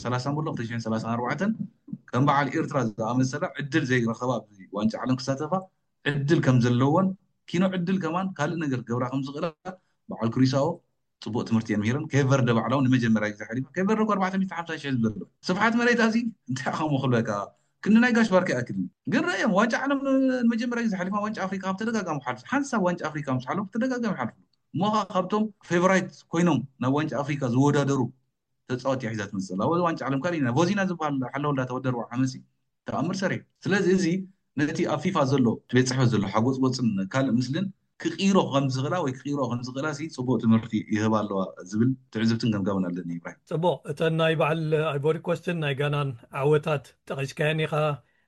ሰላሳን በሎ፣ ክልተ ሽሕን ሰላሳን ኣርባዕተን ከም በዓል ኤርትራ ዝኣመሰላ ዕድል ዘይረኸባ ኣብዚ ዋንጫ ዓለም ክሳተፋ ዕድል ከም ዘለወን፣ ኪኖ ዕድል ከማን ካልእ ነገር ክገብራ ከም ዝኽእላ በዓል ክሪሳኦ ጽቡቕ ትምህርቲ እየን ምሂረን። ኬቨርደ ባዕላ እውን ንመጀመርያ ግዜ ሓሊፋ። ኬቨርደ እኮ ኣርባዕተ ሚእቲ ሓምሳ ሺሕ ህዝቢ ዘለዎ ስፍሓት መሬት ኣዚ እንታይ ኢኻ እሞ ክብለካ፣ ክንዲ ናይ ጋሽ ባርካ ይኣክል እዩ። ግን ረእዮም ዋንጫ ዓለም ንመጀመርያ ግዜ ሓሊፋ፣ ዋንጫ ኣፍሪካ ካብ ተደጋጋሚ ሓልፉ፣ ሓንሳብ ዋንጫ ኣፍሪካ ምስ ሓለፉ ተደጋጋሚ ሓልፉ። እሞ ኸዓ ካብቶም ፌቨራይት ኮይኖም ናብ ዋንጫ ኣፍሪካ ዝወዳደሩ ተፃወቲ እያ ሒዛ ትመፅእ ዘላ። ኣብዚ ዋንጫ ዓለም ካልእ ኢና ቮዚና ዝበሃል ሓለወ እንዳተወደርዋ ዓመሲ ተኣምር ሰሪሑ። ስለዚ እዚ ነቲ ኣብ ፊፋ ዘሎ ቤት ፅሕፈት ዘሎ ሓጎፅጎፅን ካልእ ምስልን ክቕይሮ ከም ዝኽእላ ወይ ክቕይሮ ከም ዝኽእላ ሲ ፅቡቕ ትምህርቲ ይህባ ኣለዋ ዝብል ትዕዝብትን ገምጋምን ኣለኒ። ኢብራሂም። ጽቡቕ፣ እተን ናይ በዓል ኣይቮሪ ኮስትን ናይ ጋናን ዓወታት ጠቒስካየን ኢኻ።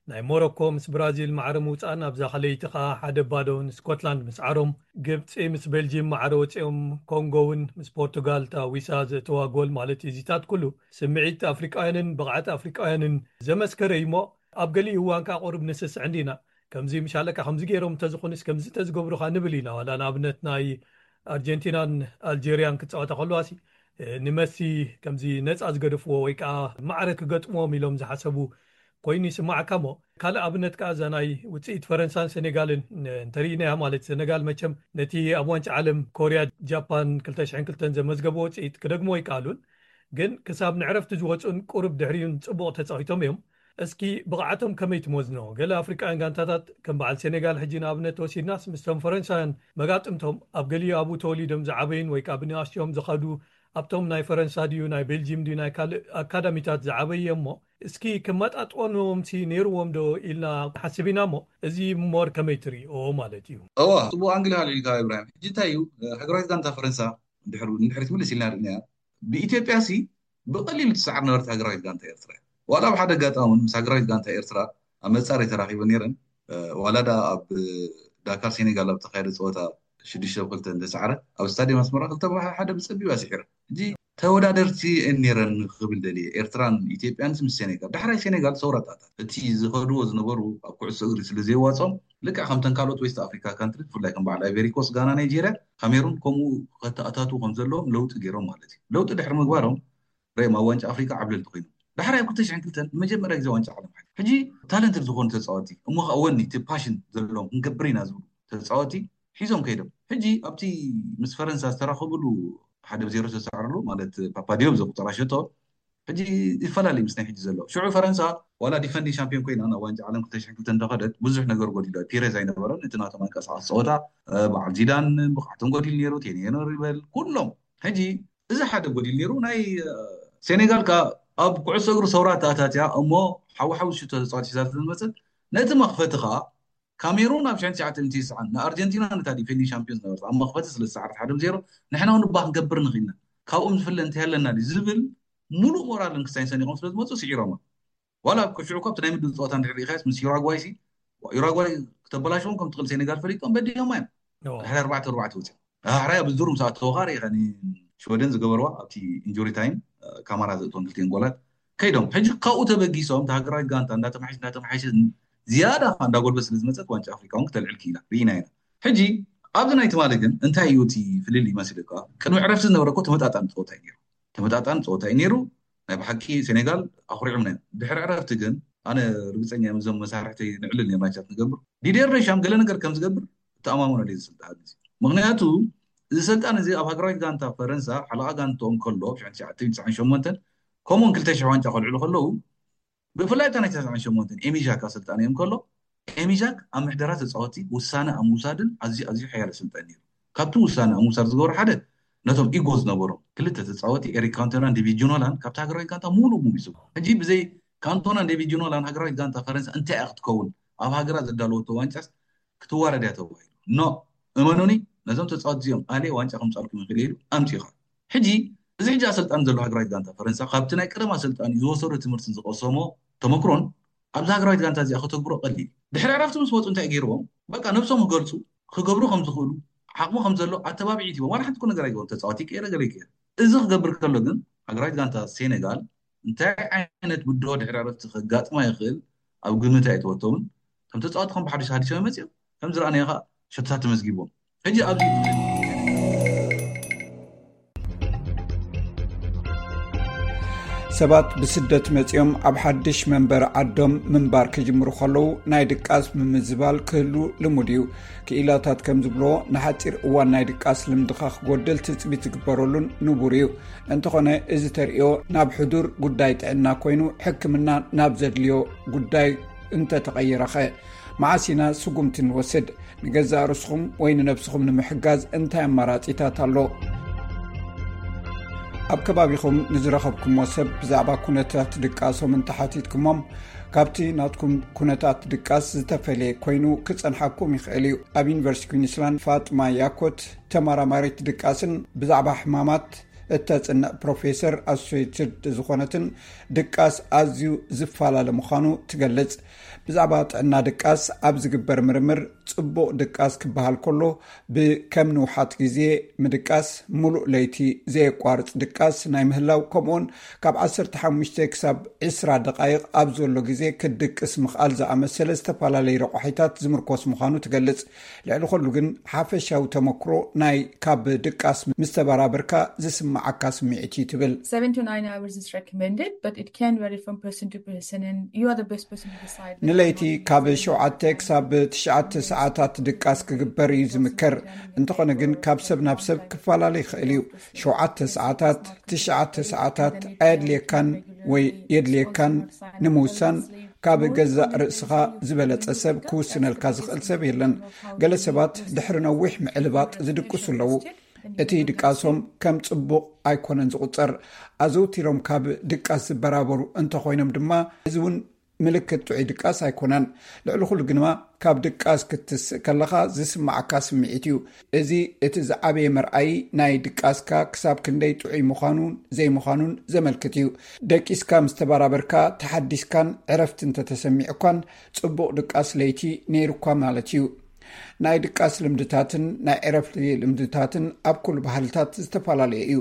ናይ ሞሮኮ ምስ ብራዚል ማዕረ ምውጻእን ኣብዛ ካልኣይቲ ከኣ ሓደ ባዶ ንስኮትላንድ ምስዓሮም፣ ግብጺ ምስ ቤልጂም ማዕረ ወጺኦም፣ ኮንጎ እውን ምስ ፖርቱጋል እታ ዊሳ ዘእተዋ ጎል ማለት እዩ። እዚታት ኩሉ ስምዒት ኣፍሪቃውያንን ብቕዓት ኣፍሪቃውያንን ዘመስከረ እዩ እሞ፣ ኣብ ገሊኡ እዋን ከኣ ቁሩብ ንስስዕ እንዲና። ከምዚ ምሻለካ ከምዚ ገይሮም እንተዝኾኑስ ከምዚ እንተዝገብሩኻ ንብል ኢና። ዋላ ንኣብነት ናይ ኣርጀንቲናን ኣልጀርያን ክጻወታ ከለዋ ሲ፣ እ፣ ንመሲ ከምዚ ነጻ ዝገደፍዎ ወይ ከኣ ማዕረ ክገጥምዎም ኢሎም ዝሓሰቡ ኮይኑ ይስማዓካ እሞ፣ ካልእ ኣብነት ከኣ እዛ ናይ ውጽኢት ፈረንሳን ሴኔጋልን ን-፣ እንተርኢናያ ማለት፣ ሴኔጋል መቸም ነቲ ኣብ ዋንጫ ዓለም ኮርያ ጃፓን ክልተ ሽሕን ክልተን ዘመዝገብዎ ውጽኢት ክደግምዎ ኣይከኣሉን፣ ግን ክሳብ ንዕረፍቲ ዝወጹን ቁሩብ ድሕሪኡን ጽቡቕ ተጻዊቶም እዮም። እስኪ ብቕዓቶም ከመይ ትመዝኖ? ገለ ኣፍሪቃውያን ጋንታታት ከም በዓል ሴኔጋል ሕጂ ንኣብነት ወሲድናስ ምስቶም ፈረንሳውያን መጋጥምቶም ኣብ ገሊኡ ኣብኡ ተወሊዶም ዝዓበዩን ወይ ከኣ ብንኣሽትኦም ዝኸዱ ኣብቶም ናይ ፈረንሳ ድዩ ናይ ቤልጂም ድዩ ናይ ካልእ ኣካዳሚታት ዝዓበየ እሞ እስኪ ክመጣጥወኖምሲ ነይርዎም ዶ ኢልና ንሓስብ ኢና እሞ እዚ ሞር ከመይ ትርእዮ ማለት እዩ? እዋ፣ ጽቡቕ ኣንግል ኢኻ ኣልዒልካ ኢብራሂም። ሕጂ እንታይ እዩ፣ ሃገራዊት ጋንታ ፈረንሳ እንድሕር ንድሕሪት ምልስ ኢልና ርኢናያ፣ ብኢትዮጵያ ሲ ብቐሊሉ ትሰዓር ነበረት ሃገራዊት ጋንታ ኤርትራ እያ። ዋላ ኣብ ሓደ ኣጋጣሚ እውን ምስ ሃገራዊት ጋንታ ኤርትራ ኣብ መጻረይ ተራኺበ ነይረን። እ፣ ዋላ ደኣ ኣብ ዳካር ሴኔጋል ኣብ ተኻየደ ጸወታ ሽዱሽተ ብ ክልተ እንተሰዓረ፣ ኣብ ስታድየም ኣስመራ ክልተ ብ ሓደ ብጸቢብ ኣስዒረ። ሕጂ ተወዳደርቲ እየን ነይረን ክብል ደልየ፣ ኤርትራን ኢትዮጵያን ምስ ሴኔጋል። ዳሕራይ ሴኔጋል ሰውራ ኣተኣታት። እቲ ዝኸድዎ ዝነበሩ ኣብ ኩዕሶ እግሪ ስለ ዘየዋጽኦም፣ ልክዕ ከምተን ካልኦት ዌስት ኣፍሪካ ካንትሪ፣ ብፍላይ ከም በዓል ኣይቨሪ ኮስት፣ ጋና፣ ናይጄርያ፣ ካሜሩን ከምኡ ከተኣታትዉ ከም ዘለዎም ለውጢ ገይሮም ማለት እዩ። ለውጢ ድሕሪ ምግባሮም ረእዮም ኣብ ዋንጫ ኣፍሪካ ዓብለልቲ ኮይኖም። ዳሕራይ ኣብ ክልተ ሽሕን ክልተን ንመጀመርያ ግዜ ዋንጫ ዓለም ሓሊፎም። ሕጂ ታለንትድ ዝኾኑ ተፃወቲ እሞ ከዓ ወኒ፣ እቲ ፓሽን ዘለዎም፣ ክንገብር ኢና ዝብሉ ተፃወቲ ሒዞም ከይዶም። ሕጂ ኣብቲ ምስ ፈረንሳ ዝተራኸብሉ ሓደ ብ ዜሮ ዝተሰዓርሉ ማለት ፓፓ ዲዮፕ ዘቁፀራ ሸቶ ሕጂ ይፈላለ ምስ ናይ ሕጂ ዘሎ። ሽዑ ፈረንሳ ዋላ ዲፈንዲንግ ሻምፒዮን ኮይና ናብ ዋንጫ ዓለም ክልተ ሽሕን ክልተን እንዳኸደት ብዙሕ ነገር ጎዲሉ። ፒሬዝ ኣይነበረን፣ እቲ ናቶም ኣንቀሳቐሲ ፀወታ፣ እ፣ በዓል ዚዳን ብቕዓቶም ጎዲሉ ነይሩ፣ ቴኒ ሄንሪ በል ኩሎም። ሕጂ እዚ ሓደ ጎዲሉ ነይሩ። ናይ፣ እ፣ ሴኔጋል ከኣ ኣብ ኩዕሶ እግሪ ሰውራ ተኣታትያ እሞ ሓዊ ሓዊ ሽቶ ተፃዋት ሒዛ ስለዝመፀት ነቲ መኽፈቲ ከኣ ካሜሩን ኣብ ሽሕን ትሽዓተ ሚእትን ትስዓን ንኣርጀንቲና ነታ ዲፌንዲንግ ሻምፒዮን ዝነበረት ኣብ መኽፈቲ ስለ ዝሰዓረት ሓደ ብ ዜሮ ንሕና እውን እባ ክንገብር ንኽእልና ካብኦም ዝፍለ እንታይ ኣለና ድዩ ዝብል ሙሉእ ሞራልን ክሳይን ሰኒቖም ስለ ዝመፁ ስዒሮማ። ዋላ ኣብ ሽዑ እኮ ኣብቲ ናይ ምድብ ፀወታ እንድሕር ርኢኻዮስ ምስ ዩራጓይ ሲ፣ ዩራጓይ ክተበላሽዎም ከም ትኽእል ሴኔጋል ፈሊጦም በዲሆማ እዮም። ኦ። ድሕሪ ኣርባዕተ ኣርባዕተ ወፂኦም። ዳሕራይ ኣብ ዙር ምስ ኣተወኻ ርኢኻ ንሽወደን ዝገበርዋ ኣብቲ ኢንጁሪ ታይም፣ እ፣ ካማራ ዘእትወን ክልቲኤን ጎላት ከይዶም። ሕጂ ካብኡ ተበጊሶም እታ ሃገራዊት ጋንታ እንዳተማሓየሸ እንዳተማሓየሸ ዝያዳ እንዳጎልበት ስለ ዝመፀት ዋንጫ ኣፍሪቃ እውን ክተልዕል ክኢላ ርኢና ኢና። ሕጂ ኣብዚ ናይ ትማሊ ግን እንታይ እዩ እቲ ፍልልይ ይመስል እኳ፣ ቅድሚ ዕረፍቲ ዝነበረ እኮ ተመጣጣኒ ፀወታ እዩ ነይሩ። ተመጣጣኒ ፀወታ እዩ ነይሩ። ናይ ብሓቂ ሴኔጋል ኣኹሪዖምና እዮም። ድሕሪ ዕረፍቲ ግን ኣነ ርግፀኛ እየ፣ ምስዞም መሳርሕተይ ንዕልል ኔርና ቻት ንገብር። ዲዴር ደሻም ገለ ነገር ከም ዝገብር እተኣማመነሉ እየ ዝስልጣ ግዜ። ምኽንያቱ እዚ ሰልጣን እዚ ኣብ ሃገራዊት ጋንታ ፈረንሳ ሓለቓ ጋንትኦም ከሎ ብ ሽሕን ትሽዓተ ሚእትን ትስዓን ሸሞንተን ከምኡውን ክልተ ሽሕ ዋንጫ ከልዕሉ ከለዉ ብፍላይ እታ ናይ ተስዓን ሸሞንተን ኤሚሻክ ኣሰልጣኒ እዮም ከሎ ኤሚሻክ ኣብ ምሕደራ ተፃወቲ ውሳነ ኣብ ምውሳድን ኣዝዩ ኣዝዩ ሓያል ኣሰልጣኒ ነይሩ። ካብቲ ውሳነ ኣብ ምውሳድ ዝገበሩ ሓደ ነቶም ኢጎ ዝነበሮም ክልተ ተፃወቲ ኤሪክ ካንቶናን ዴቪድ ጂኖላን ካብቲ ሃገራዊት ጋንታ ሙሉእ ሙሉእ ይስቡ። ሕጂ ብዘይ ካንቶናን ዴቪድ ጂኖላን ሃገራዊት ጋንታ ፈረንሳ እንታይ እያ ክትከውን? ኣብ ሃገራ ዘዳለወቶ ዋንጫስ ክትዋረድ እያ ተባሂሉ። ኖ፣ እመኑኒ፣ ነዞም ተፃወቲ እዚኦም ኣልየ ዋንጫ ከምፃልኩም ይኽእል ኢሉ ኣምፂኡ። ሕጂ እዚ ሕጂ ኣሰልጣኒ ዘሎ ሃገራዊት ጋንታ ፈረንሳ ካብቲ ናይ ቀደም ኣሰልጣኒ ዝወሰዶ ትምህርትን ዝቐሰሞ ተመክሮን ኣብዚ ሃገራዊት ጋንታ እዚኣ ከተግብሮ ቀሊል። ድሕሪ ዕረፍቲ ምስ መፁ እንታይ ገይርዎም? በቃ ነብሶም ክገልፁ፣ ክገብሩ ከም ዝኽእሉ፣ ዓቕሚ ከም ዘሎ ኣተባብዒት ሂቦም። ዋላ ሓንቲ እኮ ነገር ኣይገበሩን። ተፃዋቲ ይቀየር፣ ገለ ይቀየር። እዚ ክገብር ከሎ ግን ሃገራዊት ጋንታ ሴኔጋል እንታይ ዓይነት ብድሆ ድሕሪ ዕረፍቲ ከጋጥማ ይኽእል ኣብ ግምት ኣይኣተወቶምን። እታ እቶም ተፃወቲ ከም ብሓድሽ ተሃዲሶም መፅዮም ከም ዝረኣናዮ ከዓ ሸቶታት ተመዝጊቦም። ሕጂ ኣብዚ ሰባት ብስደት መፂኦም ኣብ ሓድሽ መንበሪ ዓዶም ምንባር ክጅምሩ ከለዉ ናይ ድቃስ ምምዝባል ክህሉ ልሙድ እዩ። ክኢላታት ከም ዝብሎ ንሓፂር እዋን ናይ ድቃስ ልምድኻ ክጎድል ትፅቢት ዝግበረሉን ንቡር እዩ። እንተኾነ እዚ ተርእዮ ናብ ሕዱር ጉዳይ ጥዕና ኮይኑ ሕክምና ናብ ዘድልዮ ጉዳይ እንተተቐይረኸ? መዓስ ኢና ስጉምቲ ንወስድ? ንገዛእ ርስኹም ወይ ንነብስኹም ንምሕጋዝ እንታይ ኣማራጺታት ኣሎ? ኣብ ከባቢኹም ንዝረኸብኩሞ ሰብ ብዛዕባ ኩነታት ድቃሶም እንተሓቲትኩሞም፣ ካብቲ ናትኩም ኩነታት ድቃስ ዝተፈልየ ኮይኑ ክጸንሓኩም ይኽእል እዩ። ኣብ ዩኒቨርሲቲ ኩዊንስላንድ ፋጥማ ያኮት ተመራማሪት ድቃስን ብዛዕባ ሕማማት እተጽንዕ ፕሮፌሰር ኣሶሴትድ ዝኾነትን ድቃስ ኣዝዩ ዝፈላለ ምዃኑ ትገልጽ። ብዛዕባ ጥዕና ድቃስ ኣብ ዝግበር ምርምር ጽቡቕ ድቃስ ክበሃል ከሎ ብከም ንውሓት ግዜ ምድቃስ፣ ምሉእ ለይቲ ዘየቋርጽ ድቃስ ናይ ምህላው፣ ከምኡውን ካብ ዓሰርተ ሓሙሽተ ክሳብ ዕስራ ደቓይቕ ኣብ ዘሎ ግዜ ክትድቅስ ምኽኣል ዝኣመሰለ ዝተፈላለዩ ረቋሒታት ዝምርኮስ ምዃኑ ትገልጽ። ልዕሊ ኩሉ ግን ሓፈሻዊ ተመክሮ ናይ ካብ ድቃስ ምስ ተበራበርካ ዝስምዓካ ስምዒት እዩ ትብል። Seven to nine hours is recommended, but it can vary from person to person, and you are the best person to decide. ንለይቲ ካብ ሸውዓተ ክሳብ ትሽዓተ ሰዓታት ድቃስ ክግበር እዩ ዝምከር። እንተኾነ ግን ካብ ሰብ ናብ ሰብ ክፈላለ ይኽእል እዩ። ሸውዓተ ሰዓታት፣ ትሽዓተ ሰዓታት ኣየድልየካን ወይ የድልየካን ንምውሳን ካብ ገዛእ ርእስኻ ዝበለጸ ሰብ ክውስነልካ ዝኽእል ሰብ የለን። ገለ ሰባት ድሕሪ ነዊሕ ምዕልባጥ ዝድቅሱ ኣለዉ። እቲ ድቃሶም ከም ጽቡቕ ኣይኮነን ዝቑጸር። ኣዘውቲሮም ካብ ድቃስ ዝበራበሩ እንተኾይኖም ድማ እዚ እውን ምልክት ጥዑይ ድቃስ ኣይኮነን። ልዕሊ ኩሉ ግንማ ካብ ድቃስ ክትስእ ከለኻ ዝስምዓካ ስምዒት እዩ። እዚ እቲ ዝዓበየ መርኣዪ ናይ ድቃስካ ክሳብ ክንደይ ጥዑይ ምዃኑን ዘይምዃኑን ዘመልክት እዩ። ደቂስካ ምስ ተበራበርካ፣ ተሓዲስካን ዕረፍቲ እንተተሰሚዑኳን ጽቡቕ ድቃስ ለይቲ ነይሩኳ ማለት እዩ። ናይ ድቃስ ልምድታትን ናይ ዕረፍቲ ልምድታትን ኣብ ኩሉ ባህልታት ዝተፈላለየ እዩ።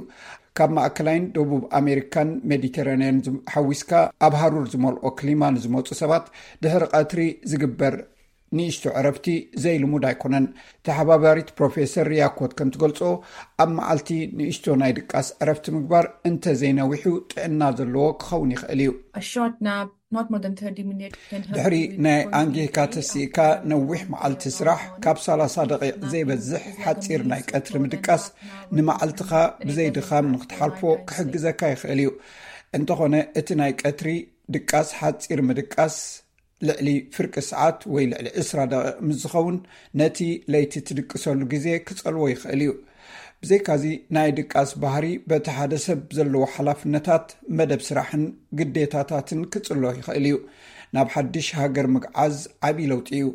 ካብ ማእከላይን ደቡብ ኣሜሪካን ሜዲተራንያን ዝም- ሓዊስካ ኣብ ሃሩር ዝመልኦ ክሊማ ንዝመፁ ሰባት ድሕሪ ቀትሪ ዝግበር ንእሽቶ ዕረፍቲ ዘይልሙድ ኣይኮነን። ተሓባባሪት ፕሮፌሰር ሪያኮት ከም ትገልጾ ኣብ መዓልቲ ንእሽቶ ናይ ድቃስ ዕረፍቲ ምግባር እንተዘይነዊሑ ጥዕና ዘለዎ ክኸውን ይኽእል እዩ። A short nap, not more than thirty minutes, can help ድሕሪ you with ናይ concentrate ኣንጌካ ተሲእካ ነዊሕ መዓልቲ ስራሕ ካብ ሰላሳ ደቂቕ ዘይበዝሕ ሓፂር ናይ ቀትሪ ምድቃስ ንመዓልትኻ ብዘይ ድኻም ንክትሓልፎ ክሕግዘካ ይኽእል እዩ። እንተኾነ እቲ ናይ ቀትሪ ድቃስ ሓፂር ምድቃስ ልዕሊ ፍርቂ ሰዓት ወይ ልዕሊ ዕስራ ደቂቕ ምስ ዝኸውን ነቲ ለይቲ ትድቅሰሉ ግዜ ክጸልዎ ይኽእል እዩ። ብዘይካዚ ናይ ድቃስ ባህሪ በቲ ሓደ ሰብ ዘለዎ ሓላፍነታት፣ መደብ ስራሕን ግዴታታትን ክጽሎ ይኽእል እዩ። ናብ ሓድሽ ሃገር ምግዓዝ ዓብዪ ለውጢ እዩ።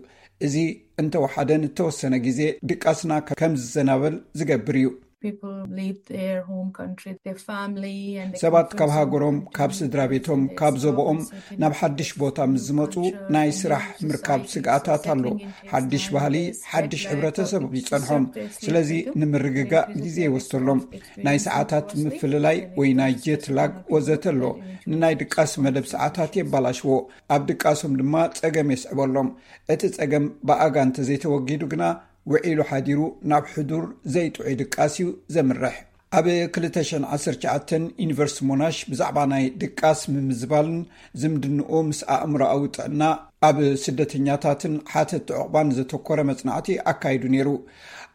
እዚ እንተወሓደ ንተወሰነ ግዜ ድቃስና ከም ዝዘናበል ዝገብር እዩ። People leave their home country, their family, and they ሰባት come ካብ from ሃገሮም country ካብ to ስድራ country, ቤቶም so ካብ there's ዞቦኦም always certain ናብ ሓድሽ culture ቦታ and ምስ ዝመፁ culture ናይ and ስራሕ society ምርካብ is ስግኣታት ኣሎ። settling into ሓድሽ Islam, ባህሊ there's ሓድሽ jet lag, ሕብረተሰብ people ይፀንሖም። disturb their sleep ስለዚ schedule, ንምርግጋእ increases ግዜ their risk ይወስደሎም። of ናይ experiencing ሰዓታት poor sleep, ምፍልላይ and ወይ ናይ increases ጀት the ላግ risk of ወዘተ ኣሎ። developing into ንናይ ድቃስ መደብ ሰዓታት የባላሽዎ፣ ኣብ ድቃሶም ድማ ፀገም የስዕበሎም። እቲ ፀገም ብኣጋ እንተዘይተወጊዱ ግና ውዒሉ ሓዲሩ ናብ ሕዱር ዘይጥዑይ ድቃስ እዩ ዘምርሕ። ኣብ ክልተ ሽሕን ዓሰርተ ትሽዓተን ዩኒቨርሲቲ ሞናሽ ብዛዕባ ናይ ድቃስ ምምዝባልን ዝምድንኡ ምስ ኣእምሮኣዊ ጥዕና ኣብ ስደተኛታትን ሓተቲ ዕቑባን ዘተኮረ መጽናዕቲ ኣካይዱ ነይሩ።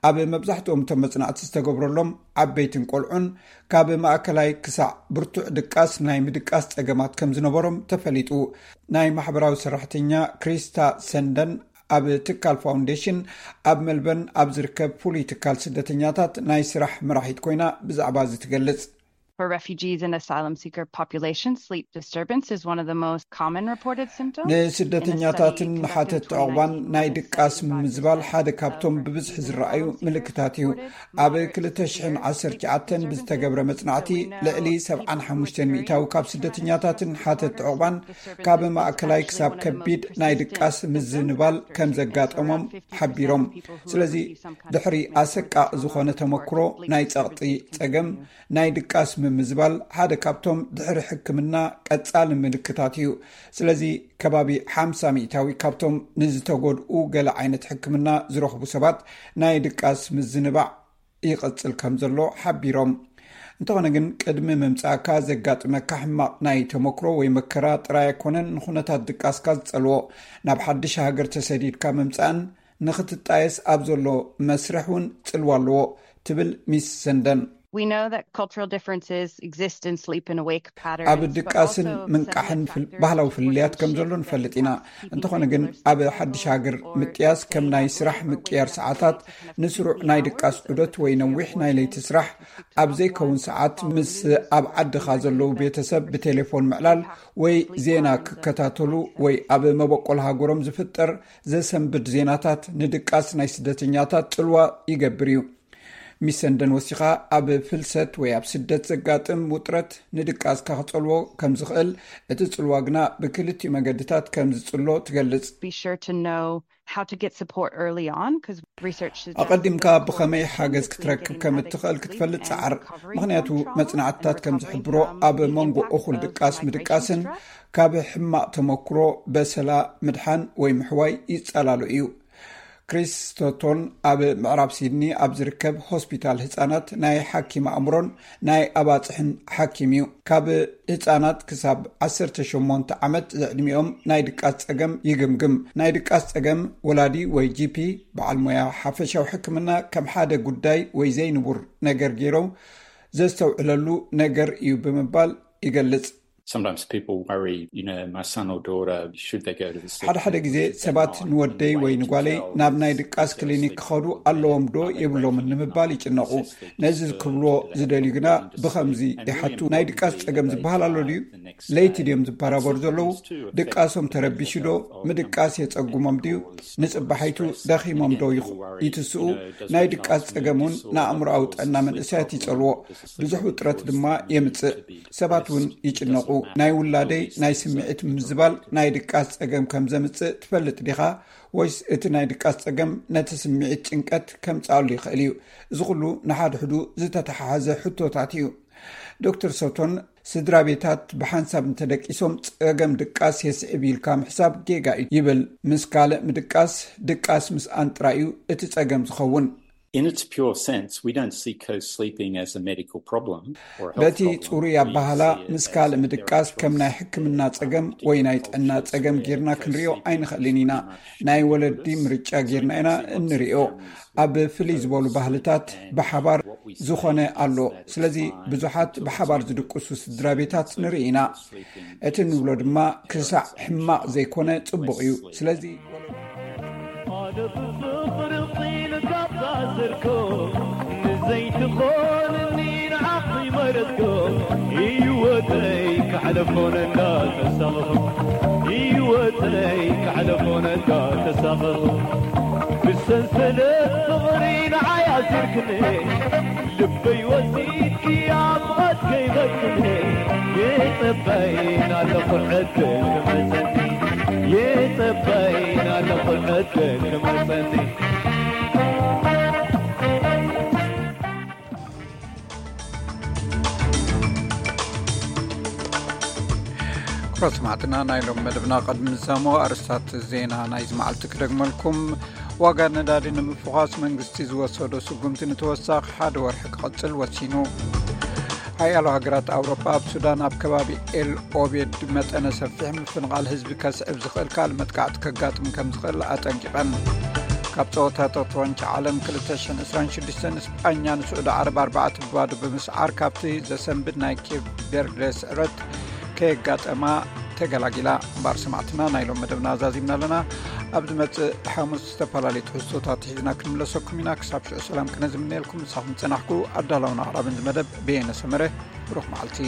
ኣብ መብዛሕትኦም እቶም መጽናዕቲ ዝተገብረሎም ዓበይትን ቆልዑን ካብ ማእከላይ ክሳዕ ብርቱዕ ድቃስ ናይ ምድቃስ ጸገማት ከም ዝነበሮም ተፈሊጡ። ናይ ማሕበራዊ ሰራሕተኛ ክሪስታ ሰንደን ኣብ ትካል ፋውንዴሽን ኣብ ሜልበርን ኣብ ዝርከብ ፍሉይ ትካል ስደተኛታት ናይ ስራሕ መራሒት ኮይና ብዛዕባ እዚ ትገልጽ። For refugees and asylum seeker population, sleep disturbance is one of the most common reported symptoms. ንስደተኛታትን ንሓተቲ ዕቑባን ናይ ድቃስ ምምዝባል ሓደ ካብቶም ብብዝሒ ዝረኣዩ ምልክታት እዩ። ኣብ ክልተ ሽሕን ዓሰርተ ትሽዓተን ብዝተገብረ መጽናዕቲ ልዕሊ ሰብዓን ሓሙሽተን ሚእታዊ ካብ ስደተኛታትን ሓተቲ ዕቑባን ካብ ማእከላይ ክሳብ ከቢድ ናይ ድቃስ ምዝንባል ከም ዘጋጠሞም ሓቢሮም። ስለዚ ድሕሪ ኣሰቃቂ ዝኾነ ተመክሮ ናይ ጸቕጢ ጸገም፣ ናይ ድቃስ ምምዝባል ሓደ ካብቶም ድሕሪ ሕክምና ቀጻሊ ምልክታት እዩ። ስለዚ ከባቢ ሓምሳ ሚእታዊ ካብቶም ንዝተጎድኡ ገለ ዓይነት ሕክምና ዝረኽቡ ሰባት ናይ ድቃስ ምዝንባዕ ይቐጽል ከም ዘሎ ሓቢሮም። እንተኾነ ግን ቅድሚ ምምጻእካ ዘጋጥመካ ሕማቕ ናይ ተመክሮ ወይ መከራ ጥራይ ኣይኮነን ንኹነታት ድቃስካ ዝጸልዎ። ናብ ሓድሽ ሃገር ተሰዲድካ ምምጻእን ንኽትጣየስ ኣብ ዘሎ መስርሕ እውን ጽልዋ ኣለዎ ትብል ሚስ ሰንደን። We know that cultural differences exist in sleep and awake patterns, ኣብ ድቃስን ምንቃሕን ባህላዊ ፍልልያት ከም ዘሎ ንፈልጥ ኢና። እንተኾነ ግን ኣብ ሓድሽ ሃገር ምጥያስ ከም ናይ ስራሕ ምቅያር ሰዓታት፣ ንስሩዕ ናይ ድቃስ ዑደት ወይ ነዊሕ ናይ ለይቲ ስራሕ፣ ኣብ ዘይከውን ሰዓት ምስ ኣብ ዓድኻ ዘለዉ ቤተሰብ ብቴሌፎን ምዕላል ወይ ዜና ክከታተሉ ወይ ኣብ መበቆል ሃገሮም ዝፍጠር ዘሰንብድ ዜናታት ንድቃስ ናይ ስደተኛታት ጽልዋ ይገብር እዩ። ሚስ ሰንደን ወሲኻ ኣብ ፍልሰት ወይ ኣብ ስደት ዘጋጥም ውጥረት ንድቃስካ ክጸልዎ ከም ዝኽእል፣ እቲ ጽልዋ ግና ብክልቲኡ መገድታት ከም ዝጽሎ ትገልጽ። Be sure to know how to get support early on, because research suggests ኣቐዲምካ ብኸመይ ሓገዝ ክትረክብ ከም እትኽእል ክትፈልጥ ጸዓር። ምኽንያቱ መጽናዕትታት ከም ዝሕብሮ ኣብ መንጎ እኹል ድቃስ ምድቃስን ካብ ሕማቕ ተመክሮ በሰላ ምድሓን ወይ ምሕዋይ ይጸላሉ እዩ። ክሪስ ስቶቶን ኣብ ምዕራብ ሲድኒ ኣብ ዝርከብ ሆስፒታል ህጻናት ናይ ሓኪም ኣእምሮን ናይ ኣባጽሕን ሓኪም እዩ። ካብ ህጻናት ክሳብ ዓሰርተ ሸሞንተ ዓመት ዝዕድሚኦም ናይ ድቃስ ጸገም ይግምግም። ናይ ድቃስ ጸገም ወላዲ ወይ ጂፒ፣ በዓል ሞያ ሓፈሻዊ ሕክምና፣ ከም ሓደ ጉዳይ ወይ ዘይንቡር ነገር ገይሮም ዘስተውዕለሉ ነገር እዩ ብምባል ይገልጽ። Sometimes people worry, you know, my son or daughter, should they go to the sleep ሓደ ሓደ ግዜ ሰባት ንወደይ ወይ ንጓለይ ናብ ናይ ድቃስ ክሊኒክ ክኸዱ ኣለዎም ዶ የብሎምን ንምባል ይጭነቑ። ነዚ ክብልዎ ዝደልዩ ግና ብኸምዚ ይሓቱ፣ ናይ ድቃስ ጸገም ዝበሃል ኣሎ ድዩ? ለይቲ ድዮም ዝበራበሩ ዘለዉ? ድቃሶም ተረቢሹ ዶ? ምድቃስ የጸጉሞም ድዩ? ንጽባሓይቱ ደኺሞም ዶ ይትስኡ? ናይ ድቃስ ጸገም እውን ንኣእምሮኣዊ ጥዕና መንእሰያት ይጸልዎ፣ ብዙሕ ውጥረት ድማ የምጽእ። ሰባት እውን ይጭነቑ። ናይ ውላደይ ናይ ስምዒት ምምዝባል ናይ ድቃስ ጸገም ከም ዘምጽእ ትፈልጥ ዲኻ? ወይስ እቲ ናይ ድቃስ ጸገም ነቲ ስምዒት ጭንቀት ከምጽኣሉ ይኽእል እዩ? እዚ ኩሉ ንሓድሕዱ ዝተተሓሓዘ ሕቶታት እዩ። ዶክተር ሶቶን፣ ስድራ ቤታት ብሓንሳብ እንተደቂሶም ጸገም ድቃስ የስዕብ ኢልካ ምሕሳብ ጌጋ እዩ ይብል። ምስ ካልእ ምድቃስ፣ ድቃስ ምስኣን ጥራይ እዩ እቲ ጸገም ዝኸውን። In its pure sense, we don't see co-sleeping as a medical problem. በቲ ጽሩይ ኣባህላ፣ ምስ ካልእ ምድቃስ ከም ናይ ሕክምና ጸገም ወይ ናይ ጥዕና ጸገም ጌርና ክንሪኦ ኣይንኽእልን ኢና። ናይ ወለዲ ምርጫ ጌርና ኢና እንሪኦ። ኣብ ፍልይ ዝበሉ ባህልታት ብሓባር ዝኾነ ኣሎ። ስለዚ ብዙሓት ብሓባር ዝድቅሱ ስድራ ቤታት ንርኢ ኢና። እቲ ንብሎ ድማ ክሳዕ ሕማቕ ዘይኮነ ጽቡቕ እዩ። ስለዚ ሓደ ብፍቕሪ ፂን ካብ ታሰርኮ ንዘይትኾንኒ ንዓኺ መረፅኮ ህይወተይ ካሕለፎነ እንዳተሳቐኹ ህይወተይ ካሕለፎነ እንዳተሳቐኹ ብሰንሰለት ፍቕሪ ንዓይ ኣሲርክኒ ልበይ ወሲድኪ ኣብ ቐት ከይበክኒ የጸበይን ኣለኹ ዕድል ክመጸኒ የጸበይን ኣለኹ ዕድል ክመጸኒ ክቡራት ሰማዕትና፣ ናይ ሎም መደብና ቅድሚ ምዛሞ ኣርስታት ዜና ናይዚ መዓልቲ ክደግመልኩም። ዋጋ ነዳዲ ንምፍዃስ መንግስቲ ዝወሰዶ ስጉምቲ ንተወሳኺ ሓደ ወርሒ ክቕጽል ወሲኑ። ሓያሎ ሃገራት ኣውሮጳ ኣብ ሱዳን ኣብ ከባቢ ኤል ኦቤድ መጠነ ሰፊሕ ምፍንቓል ህዝቢ ከስዕብ ዝኽእል ካልእ መጥቃዕቲ ከጋጥም ከም ዝኽእል ኣጠንቂቐን። ካብ ጸወታታት ዋንጫ ዓለም ክልተ ሽሕን ዕስራን ሽዱሽተን፣ ስጳኛ ንስዑዲ ዓረብ ኣርባዕተ ብባዶ ብምስዓር ካብቲ ዘሰንብድ ናይ ኬፕ ቬርደ ስዕረት ከየጋጠማ ተገላጊላ። እምበኣር ሰማዕትና፣ ናይ ሎም መደብና ኣዛዚምና ኣለና። ኣብ ዝመጽእ ሓሙስ ዝተፈላለዩ ትሕዝቶታት ሒዝና ክንምለሰኩም ኢና። ክሳብ ሽዑ ሰላም ክነ ዝምነየልኩም፣ ምሳኹም ዝጸናሕኩ ኣዳላውን ኣቕራብን ዝመደብ በየነ ሰመረ። ብሩኽ መዓልቲ።